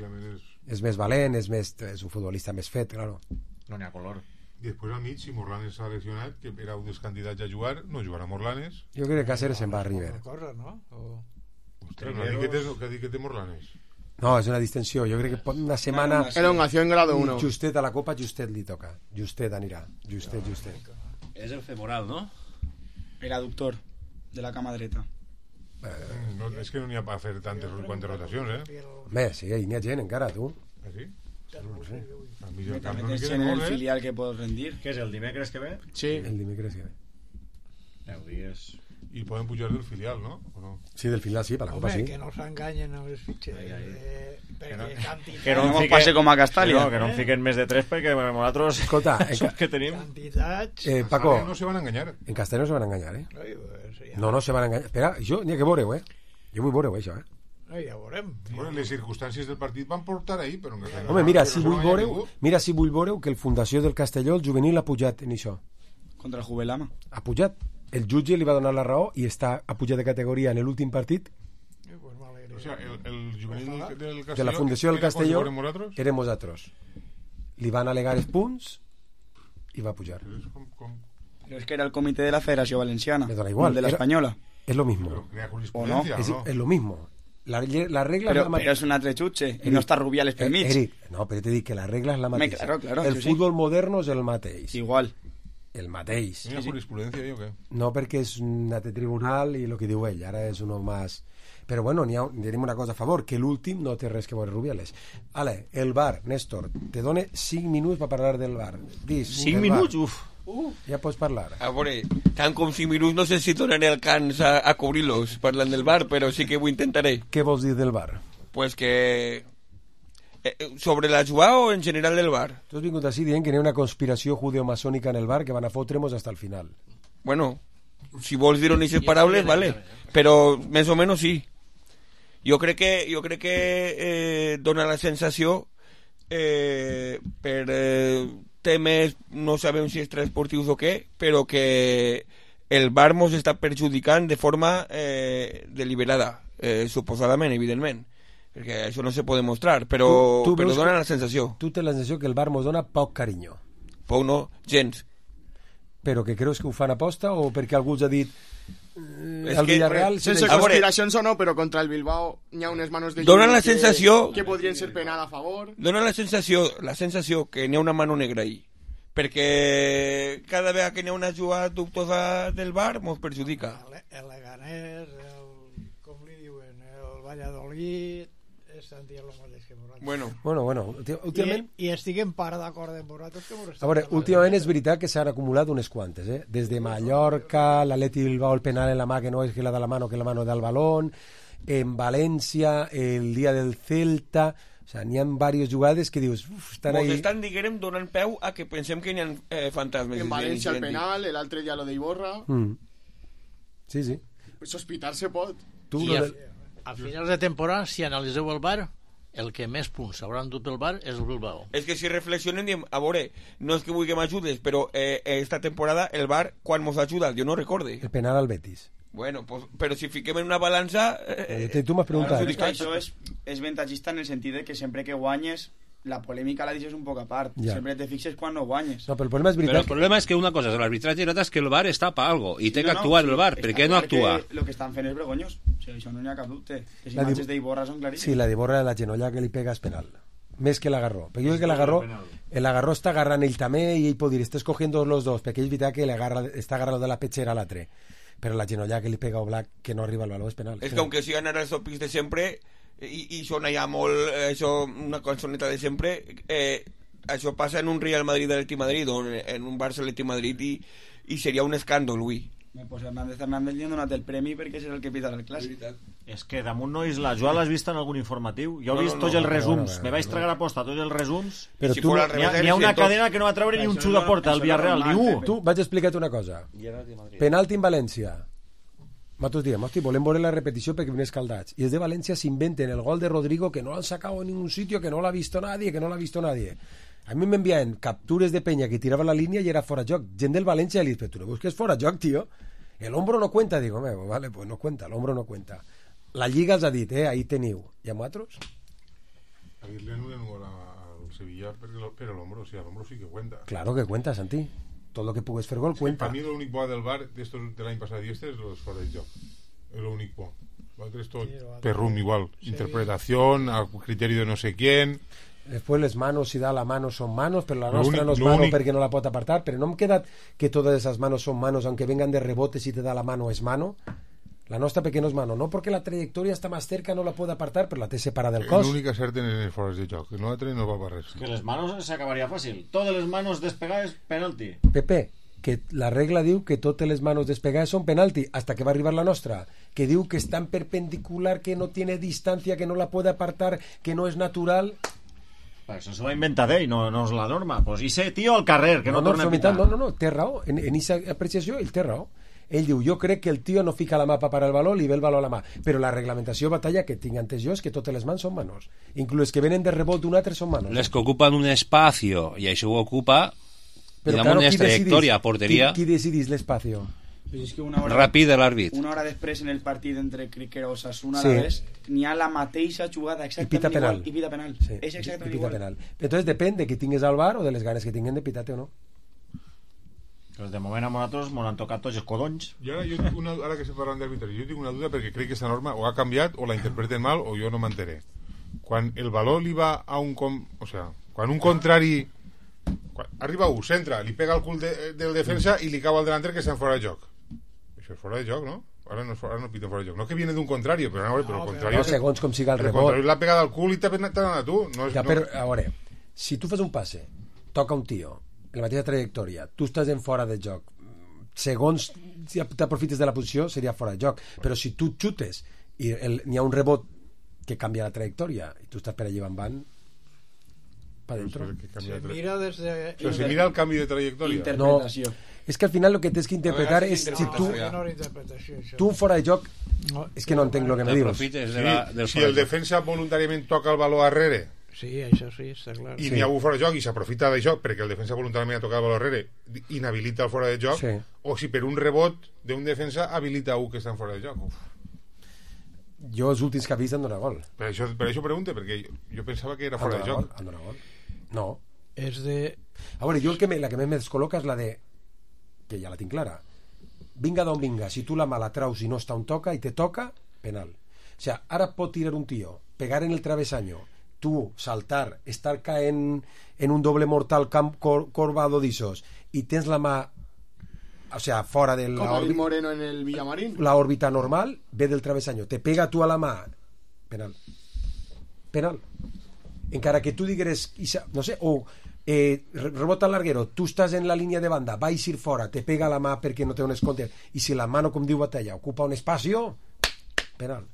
és més valent, és, més, és un futbolista més fet, claro.
No n'hi ha color.
I després al mig, si Morlanes s'ha lesionat, que era un dels candidats a jugar, no jugarà Morlanes.
Jo crec que Cáceres se'n va a River.
Cosa, no? O...
Ostres, no dic que té, que dic que té Morlanes.
No, és una distensió. Jo crec que una setmana...
Elongació en grado uno.
Justet a la Copa, Justet li toca. Justet anirà. Justet, Justet.
És el femoral, no?
El aductor de la cama dreta.
Eh, no, és que no n'hi ha per fer tantes quantes rotacions, eh?
Bé, sí, n'hi ha gent encara, tu.
Ah, sí?
No sé.
A mi el camp
no
no
me
queda
en
molt,
el
eh?
filial que puedo rendir.
Què és, el dimecres que ve?
Sí.
El dimecres que ve.
deu dies.
I poden pujar del filial, no? ¿O no?
Sí, del filial sí, per la Copa sí.
Home, que no s'enganyen amb els fitxers. Eh, perquè
no,
quantitat...
que no
no fique, pase com a Castalia.
No, que no en fiquen més de tres perquè nosaltres...
Escolta,
en que tenim...
Quantitats...
Eh, Paco,
no se van a enganyar.
En Castelló no se van a enganyar, eh?
Ai, pues, ja.
No, no se van a enganyar. Espera, jo n'hi ha que veure-ho, eh? Jo vull veure-ho, això, eh?
Ai, ja veurem.
Bueno, les circumstàncies del partit van portar ahí, però... No,
Home, mira,
no
si vull veure-ho, mira si vull veure-ho, que el Fundació del Castelló, el juvenil, ha pujat en això.
Contra el Juvelama.
Ha pujat. El jutge li va donar la raó i està a pujar de categoria en l'últim partit.
Eh, pues
o sea, el, el juvenil del Castelló...
De la Fundació del Castelló
érem
nosaltres. Li van alegar els punts i va pujar.
Com, com...
Pero es que era el comité de la Federación Valenciana.
Me da igual.
De la
era,
española.
Es lo mismo.
¿O no?
Es, es lo mismo. La, la regla
pero,
es la
pero es una trechuche y no está Rubiales per mig.
Eric, no, però te dic que la regla és la mateixa.
Claro, claro,
el
sí,
futbol
sí.
moderno és el mateix.
Igual.
El mateix.
¿Hi ha jurisprudència o què?
No, perquè és un altre tribunal i el que diu ell, ara és uno más... Però bueno, n'hi ha, tenim una cosa a favor, que l'últim no té res que veure Rubiales. Ale, el bar, Néstor, te done cinc minuts per parlar del bar. Dis,
cinc minuts? Uf.
Uh, ja pots parlar.
A veure, tant com cinc minuts no sé si donaré el cans a, a cobrir-los parlant del bar, però sí que ho intentaré.
Què vols dir del bar?
Pues que... Eh, sobre la jugada o en general del bar?
Tu has vingut així dient que hi ha una conspiració judeomasònica en el bar que van a fotre-mos hasta el final.
Bueno, si vols dir-ho en aquestes paraules, vale. Però més o menys sí. Jo crec que, jo crec que eh, dona la sensació eh, per eh, temes, no sabem si extraesportius o què, però que el bar mos està perjudicant de forma eh, deliberada, eh, suposadament, evidentment, perquè això no se pot demostrar, però, tu, tu però dona la sensació.
Tu tens la sensació que el bar mos dona poc carinyo.
Poc no, gens.
Però que creus que ho fan aposta o perquè algú ha dit
eh, el Villarreal sense si conspiracions o no, però contra el Bilbao hi ha unes manos de
dona la
que,
sensació
que podrien ser penal a favor.
Dona la sensació, la sensació que n'hi ha una mano negra ahí, perquè cada vegada que n'hi ha una jugada dubtosa del bar mos perjudica.
El, el Leganés, el, com li diuen, el Valladolid estan dient el mateix que nosaltres.
Bueno,
bueno, bueno últimament...
I, i estic en part d'acord amb vosaltres que vosaltres...
A veure, últimament és veritat que s'han acumulat unes quantes, eh? Des de Mallorca, l'Atleti Bilbao, el penal en la mà que no és que la de la mano, que la mano del balón, en València, el dia del Celta... O sea, n'hi ha diverses jugades que dius... Uf, estan
Mos
ahí...
estan, diguem, donant peu a que pensem que n'hi ha eh, fantasmes.
En València el penal, l'altre dia lo d'Iborra...
Mm. Sí, sí.
Sospitar se pot.
Tu,
I a,
del...
a finals de temporada, si analitzeu el bar, el que més punts hauran dut pel bar és el Bilbao.
És que si reflexionem, diem, a veure, no és que vull que m'ajudes, però eh, esta temporada el bar, quan mos ajuda, jo no recorde.
El penal al Betis.
Bueno, pues, però si fiquem en una balança...
Eh, tu m'has preguntat.
Claro, es que això és, és ventajista en el sentit de que sempre que guanyes la polèmica la deixes un poc a part.
Ja.
Sempre te fixes quan no guanyes.
No, però el problema és veritat.
Però el problema és que una cosa és l'arbitratge i l'altra és que el V A R està per algo i té
Sí,
que
no,
actuar
sí,
el V A R. Per
està
què no
clar
actua?
que lo que estan fent és vergonyós. O sigui, això no n'hi ha cap dubte. Les
La
imatges
di-
d'Iborra són claríssimes.
Sí, la d'Iborra, la genolla que li pega és penal. Més que l'agarró. Perquè jo crec que l'agarró, l'agarró està agarrant ell també i ell pot dir, estàs cogiendo los dos, perquè ell veritat que l'agarra, està agarrant de la pechera a l'altre. Però la genolla que li pega a Oblak, que no arriba al baló, és penal.
És que aunque sigan ara els topis de sempre i, i sona ja molt eh, això, una cançoneta de sempre, eh, això passa en un Real Madrid de l'Atleti Madrid o en un Barça Atleti Madrid i, i seria un escàndol, ui.
Pues Hernández Hernández li han donat el premi perquè és el que pitarà el clàssic.
És que damunt no és la... Jo l'has vist en algun informatiu? Jo he
No,
vist
no,
tots
no,
els
no,
resums.
no, no,
Me vaig
no.
tragar a posta tots els resums.
Però
si
tu-
fos al revés, N'hi ha, n'hi ha una cadena que no va treure ni un xut a porta al Villarreal, ni un.
Tu, vaig explicar-te una cosa. Penalti en València. Nosaltres diem, hosti, volem veure la repetició perquè viene escaldats. I els de València s'inventen el gol de Rodrigo que no l'han sacado en ningún sitio, que no l'ha visto nadie, que no l'ha visto nadie. A mi m'enviaven captures de penya que tirava la línia i era fora joc. Gent del València li dice, tu no veus que és fora joc, tío? El hombro no cuenta. Digo, "Home, vale, pues no cuenta, el hombro no cuenta. La Lliga els ha dit, eh, ahí teniu. I a vosaltres?
A dir-li en un gol al Sevilla però, però l'hombro, o sigui, l'hombro sí que cuenta.
Claro que cuenta, Santi. Tot lo que pugues fer gol cuenta.
Para mí lo único del V A R de, estos, de l'any passat i este és los fora de joc. Es lo único. L'altre és tot perrum igual.
Sí.
Interpretación, a criterio de no sé quién.
Después les manos, si da la mano son manos, pero la
Lo
nostra
únic-
no es
lo
mano
únic-
porque no la pot apartar, pero no me queda que todas esas manos son manos, aunque vengan de rebote, si te da la mano es mano. La nostra perquè no és mano, no porque la trayectoria está más cerca, no la puede apartar, però la té separada del cos.
L'únic que acerten en els fora de joc. El altre no va per res.
Que les manos s'acabaria fàcil. Totes les manos despegades, penalti.
Pepe, que la regla diu que totes les manos despegades són penalti, hasta que va arribar la nostra, que diu que és tan perpendicular, que no tiene distancia, que no la puede apartar, que no és natural.
Però això se va inventar d'ell, no, no és la norma. Pues ese tío al carrer, que no,
no,
torna a
no,
pitar.
no, no, no, té raó. En, en esa apreciació, ell té raó. Ell diu, jo crec que el tio no fica la mà per parar el baló, li ve el baló a la mà. Però la reglamentació batalla que tinc antes jo és que totes les mans són manos. Inclús les que venen de rebot d'un altre són manos.
Les que ocupen un espacio i això ho ocupa
Però
i
claro,
damunt
qui
és trajectòria,
decidís?
porteria,
Qui, qui decidís l'espacio?
Però és que una hora,
ràpid de l'àrbit.
una hora després en el partit entre crec que era Osasuna
Sí.
a la vez, n'hi ha la mateixa jugada
I
exactament
pita penal.
igual i pita penal.
Sí,
És
i
exactament
pita
igual.
penal. Entonces depèn de que tingues al bar o de les ganes que tinguen de pitar-te o no.
Pues de moment a nosaltres m'ho han tocat tots els codonys.
I ara, jo, una, ara que se parlen d'arbitratge, jo tinc una duda perquè crec que aquesta norma o ha canviat o la interpreten mal o jo no m'enteré. Quan el valor li va a un... Com, o sea, quan un contrari... Quan arriba un, centra, li pega el cul de, del defensa i li cau al delanter que està en fora de joc. Això és fora de joc, no? Ara no, és fora, ara no piten fora de joc. No que viene d'un contrari, però, no, però el contrari...
No, segons com siga el
el
rebot.
contrari l'ha pegat al cul i t'ha anat a tu. No és,
Ja,
no,
però, a veure, si tu fas un passe, toca un tio, en la mateixa trajectòria, tu estàs en fora de joc, segons si t'aprofites de la posició, seria fora de joc. Però si tu xutes i el- n'hi ha un rebot que canvia la trajectòria i tu estàs per allà en van, pa dentro.
Se mira des de...
O sea, se mira el canvi de trajectòria.
No, és que al final el que tens que interpretar és si tu,
Menor interpretació, això.
tu fora de joc, és que no entenc el que me dius.
Sí, si el defensa voluntàriament toca el valor arrere
Sí, això sí, està clar.
i n'hi ha un fora de joc i s'aprofita d'això perquè el defensa voluntàriament ha tocat el valor arrere, inhabilita el fora de joc,
Sí.
o si per un rebot d'un defensa habilita un que està en fora de joc. Uf.
Jo els últims que he vist han donat gol.
Per això, per això pregunte, perquè jo, jo pensava que era
Han
fora de
donat
joc.
gol, han donat gol. No.
És de...
A veure, jo el que me, la que més me descol·loca és la de que ja la tinc clara. Vinga d'on vinga, si tu la mà la traus i no està on toca i te toca, penal. O sea, ara pot tirar un tio, pegar en el travesaño, tu saltar, estar caent en un doble mortal camp cor, corvado d'isos i tens la mà, o sea, fora de la,
Como el
orbi-
Moreno en el Villamarín.
la òrbita normal, ve del travesaño, te pega tu a la mà, penal. Penal. Encara que tu digueres, Isa- no sé, o eh, re- rebota el larguero, tu estàs en la línia de banda, vais ir fora, te pega la mà perquè no té on esconder, i si la mano, com diu Batalla, ocupa un espacio, penal.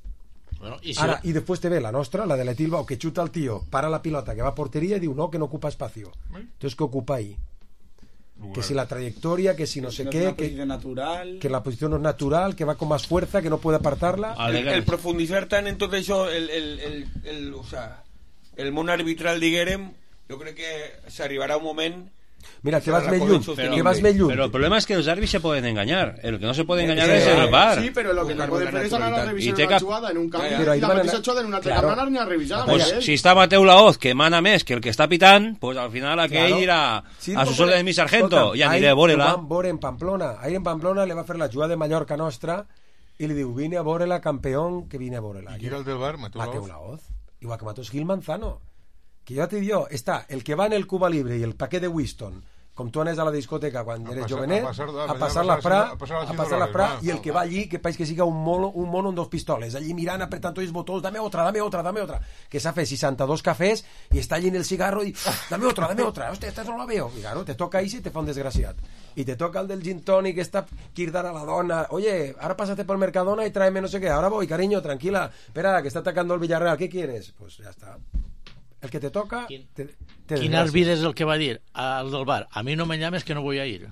Bueno, i si
Ara, i després te ve la nostra, la de l'Etilbao, que xuta el tio, para la pilota, que va a porteria i diu no, que no ocupa espacio. Entonces, ¿qué ocupa ahí? Que si la trayectoria, que si no sé
no es
qué,
una
que,
posición natural.
que la posición no es natural, que va con más fuerza, que no puede apartarla.
El, el profundizar tant en tot això, el, el, el, el, o sea, el món arbitral, diguérem, jo crec que s'arribarà un moment
Mira, que vas més lluny, que vas més lluny.
Pero el problema es que los árbitros se pueden engañar. El que no se puede engañar es el V A R.
Sí, pero lo que no puede hacer es anar a revisar una jugada en un camp i la mateixa jugada en un altre camp anar ni a revisar.
Pues si está Mateu Laoz, que mana més que el que està pitant, pues al final aquell dirà a sus órdenes mi sargento, i aniré a veure-la.
Van veure en Pamplona. Ahir en Pamplona le va fer la jugada de Mallorca nostra i li diu, vine a veure-la, campeón, que vine a veure-la.
I qui era el del V A R? Mateu Laoz.
Mateu Laoz. Igual que Mateu Gil Manzano. Que jo te digo, està el que va en el Cuba Libre i el paquet de Winston, com tu anes a la discoteca quan eres jovenet, a passar la fra, a passar la fra, i el que va allí, que pareix que siga un mono, un mono amb dos pistoles, allí mirant, apretant tots els botons, dame otra, dame otra, dame otra, que s'ha fet seixanta-dos cafès i està allí en el cigarro i, dame otra, dame otra, hostia, esta no la veo. I claro, te toca ahí i te fa un desgraciat. Y te toca el del gin tonic que está quirdar a la dona. Oye, ahora pásate por Mercadona y tráeme no sé qué. Ahora voy, cariño, tranquila. Espera, que está atacando el Villarreal. ¿Qué quieres? Pues ya está. El que te toca...
Quin,
te, te
quin àrbitre és el que va dir al del bar? A mi no me llames que no voy a ir.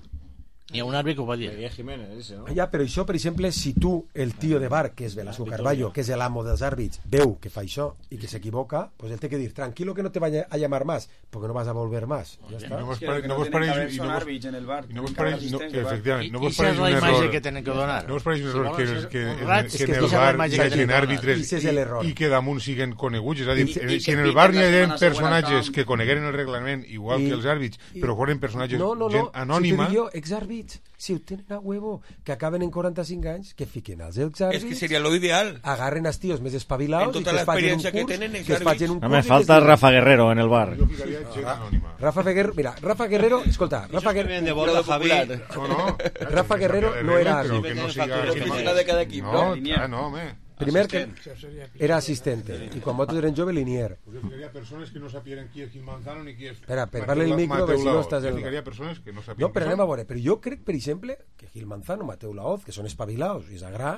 Ni a un àrbitre que ho va dir.
Jiménez, ese, ¿no?
Ja, però això, per exemple, si tu, el tio de bar, que és Velasco Carballo, que és l'amo dels àrbits, veu que fa això i que s'equivoca, pues él té que dir, tranquilo que no te vaya a llamar más, porque no vas a volver más. Ja està.
No vos pareix... No vos pareix...
Son àrbits en el bar.
No vos pareix... Efectivament. No
I
vos pareix
esa
un
és la imatge
error...
que tenen que donar.
No vos pareix un error que, que,
que
en el bar hi hagin àrbitres i que damunt siguen coneguts. És a dir, si en el bar hi ha personatges que conegueren el reglament igual que els àrbits, però foren personatges gent anònima...
No, no, no, exàrbits, si ho tenen a huevo, que acaben en quaranta-cinc anys, que fiquen als exàrbits...
És que seria lo ideal.
Agarren els tios més espavilados
en
i
tota
que es facin un
que
curs,
tenen,
que es facin un curs...
No me falta Rafa Guerrero en el bar.
Jo ficaria gent anònima.
Rafa Guerrero, mira, Rafa Guerrero, escolta, Rafa Guerrero...
de borda, Javi.
No, no.
Rafa Guerrero no era...
Però que no siga...
Oficina de cada equip,
no?
no?
Ah, no, home.
Primer que era assistente i quan vosaltres eren jove, linier.
Jo ficaria persones que no sapien qui és Gil Manzano ni qui és...
Espera, per parlar el micro, per si no estàs...
Jo ficaria persones que no sapien...
No, però anem a veure, però jo crec, per exemple, que Gil Manzano, Mateu Laoz, que són espavilados i s'agrà,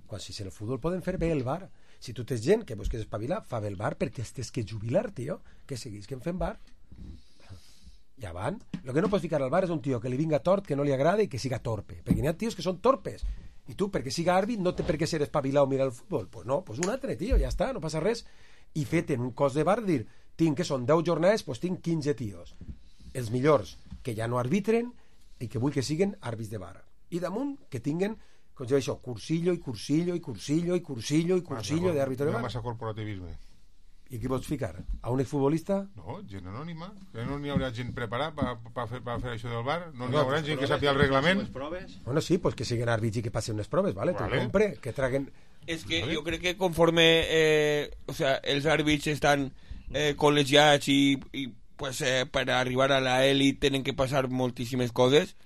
quan si el futbol poden fer bé el bar. Si tu tens gent que vols que és espavilar, fa bé el bar perquè tens que jubilar, tio, que seguís que en fem bar. Ja van. Lo que no pots ficar al bar és un tio que li vinga tort, que no li agrada i que siga torpe, perquè n'hi ha tios que són torpes. I tu, perquè siga àrbit, no té per què ser espavilar o mirar el futbol. Pues no, pues un altre, tio, ja està, no passa res. I fet en un cos de bar, dir, tinc que són deu jornades, pues tinc quinze tios. Els millors, que ja no arbitren i que vull que siguen àrbits de bar. I damunt, que tinguen, com jo això, cursillo i cursillo i cursillo i cursillo i cursillo d'àrbit de bar.
Massa corporativisme.
I qui vols ficar? A un exfutbolista?
No, gent anònima. No n'hi haurà gent preparada per pa fer, pa fer això del bar? No n'hi haurà gent que sàpiga el reglament?
Bueno, sí, pues que siguen àrbits i que passen unes proves, ¿vale? vale. Tu compre, que traguen...
Es que ¿vale? Yo creo que conforme eh, o sea, els àrbits estan eh, col·legiats i, i pues, eh, per arribar a la elit tenen que passar moltíssimes coses,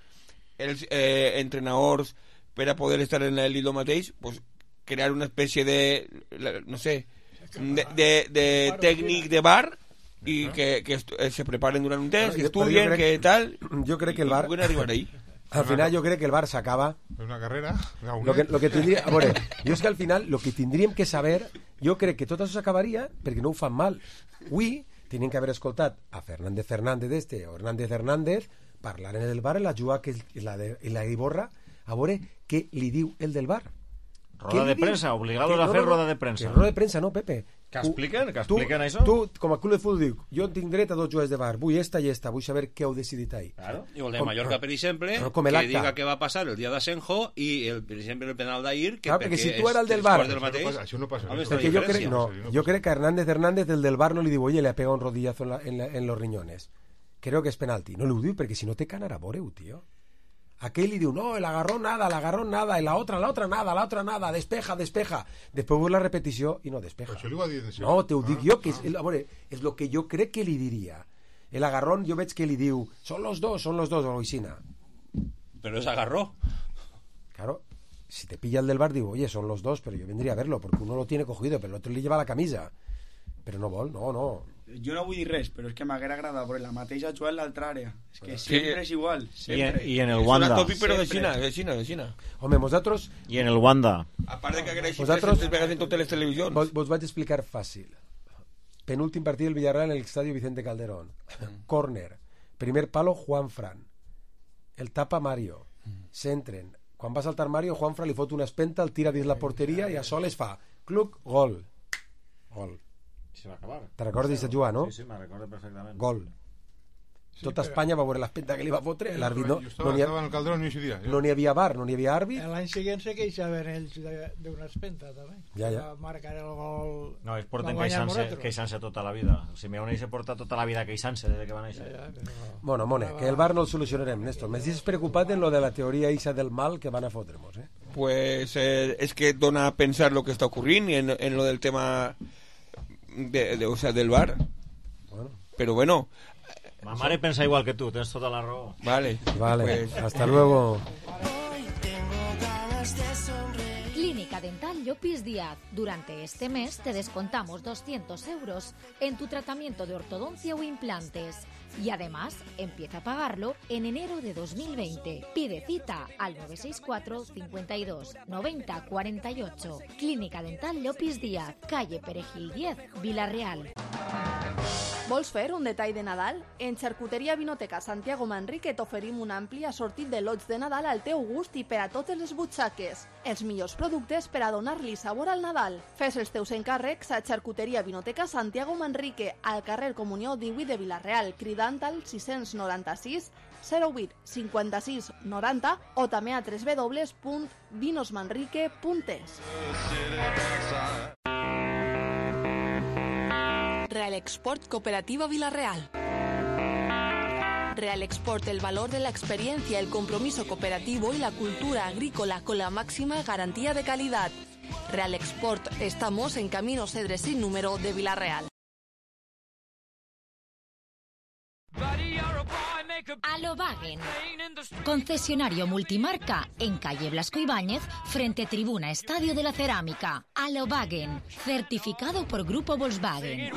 els eh, entrenadors per a poder estar en la elit lo mateix, pues, crear una espècie de, no sé, de, de, de tècnic de bar i que, que se preparen durant un temps, que estudien, que tal,
jo crec que el bar
pueden arribar ahí.
Al final jo crec que el bar s'acaba
una carrera
lo que, lo que tindria, a veure, jo és que al final lo que tindríem que saber, jo crec que tot això s'acabaria perquè no ho fan mal. Avui tenien que haver escoltat a Fernández Fernández este o Hernández Hernández parlar en el bar en la jugada que és la de la Iborra, a veure què li diu el del bar.
Roda de premsa, obligados a fer roda de premsa.
Roda de premsa no, Pepe.
Que expliquen, que expliquen
tu,
això.
Tu, com a club de futbol, dic, jo tinc dret a dos jugadors de bar, vull esta i esta, vull saber què heu decidit ahí.
Claro. Y el de Mallorca, per exemple,
no,
que diga què va passar el dia d'Asenjo i, el, per exemple, el penal d'ahir, que
claro, perquè si tu era el del bar...
Del mateix, això no passa.
Home, perquè jo crec, no, jo crec que Hernández Hernández, el del bar, no li diu, oye, le ha pegado un rodillazo en, la, en, la, en los riñones. Creo que és penalti. No li ho diu perquè si no te canarà voreu, tio. Aquell li diu, no, el agarró nada, el agarró nada, y la otra, la otra nada, la otra nada, despeja, despeja. Després veus la repetició i no despeja.
Això li ho va dir
no, te ho dic jo, que és, a veure, és el que jo crec que li diria. El agarrón jo veig que li diu, son los dos, son los dos, Oisina.
Pero es agarró.
Claro, si te pilla el del bar, digo, oye, son los dos, pero yo vendría a verlo, porque uno lo tiene cogido, pero el otro le lleva la camisa. Però no vol, no, no.
Jo no vull dir res, però és que m'haguera agradat veure la mateixa jugada en l'altra àrea. És que sempre és igual. Sempre.
I, I en el Wanda.
És una topi, però de Xina, de Xina, de Xina.
Home, vosaltres...
I en el Wanda.
A part de que agraeixi tres vegades en totes les televisions.
Vos, vos vaig explicar fàcil. Penúltim partit del Villarreal en el estadio Vicente Calderón. Mm. Corner. Primer palo, Juan Fran. El tapa Mario. S'entren. Quan va saltar Mario, Juan Fran li fot una espenta, el tira dins la porteria i a soles fa cluc, gol. Gol.
Se va acabar.
Te recordes de jugar, no?
Sí, sí, me recordo perfectament.
Gol. Tota Espanya va veure l'espenta que li va fotre, l'àrbit no,
estava,
no n'hi
estava en el Calderón i ese dia, ja.
no n'hi havia bar, no n'hi havia àrbit.
L'any següent se queixaven ells d'una espenta, també.
Ja, ja.
Va marcar el gol...
No, ells porten queixant-se queixant-se tota la vida. Simeone se porta tota la vida queixant-se des que va néixer.
Ja, ja, però...
Bueno, Mone, que el bar no el solucionarem, Néstor. M'estàs preocupat en lo de la teoria isa del mal que van a fotremos, eh?
Pues eh, es que dona a pensar lo que está ocurriendo en, en lo del tema de, de, o sea, del bar.
Bueno.
Pero bueno...
Ma mare pensa igual que tú, tienes toda la raó.
Vale.
Vale,
pues...
hasta luego.
Clínica Dental Llopis Díaz. Durante este mes te descontamos doscientos euros en tu tratamiento de ortodoncia o implantes. Y además, empieza a pagarlo en enero de dos mil veinte. Pide cita al nueve seis cuatro, cincuenta y dos, noventa, cuarenta y ocho. Clínica Dental Llopis Díaz, calle Perejil diez, Vila-real.
Vols fer un detall de Nadal? En Xarcuteria Vinoteca Santiago Manrique t'oferim un ampli assortit de lots de Nadal al teu gust i per a totes les butxaques. Els millors productes per a donar-li sabor al Nadal. Fes els teus encàrrecs a Xarcuteria Vinoteca Santiago Manrique, al carrer Comunió divuit de Vila-real, cridant al sis noranta-sis zero vuit cinquanta-sis noranta o també a w w w punt vinosmanrique punt es. Real Export Cooperativa Vila-real. Real Export, el valor de la experiencia, el compromiso cooperativo y la cultura agrícola con la máxima garantía de calidad. Real Export, estamos en Camino Cedres sin número de Vila-real.
Alobagen, concesionario multimarca en calle Blasco Ibáñez, frente Tribuna Estadio de la Cerámica. Alobagen, certificado por Grupo Volkswagen.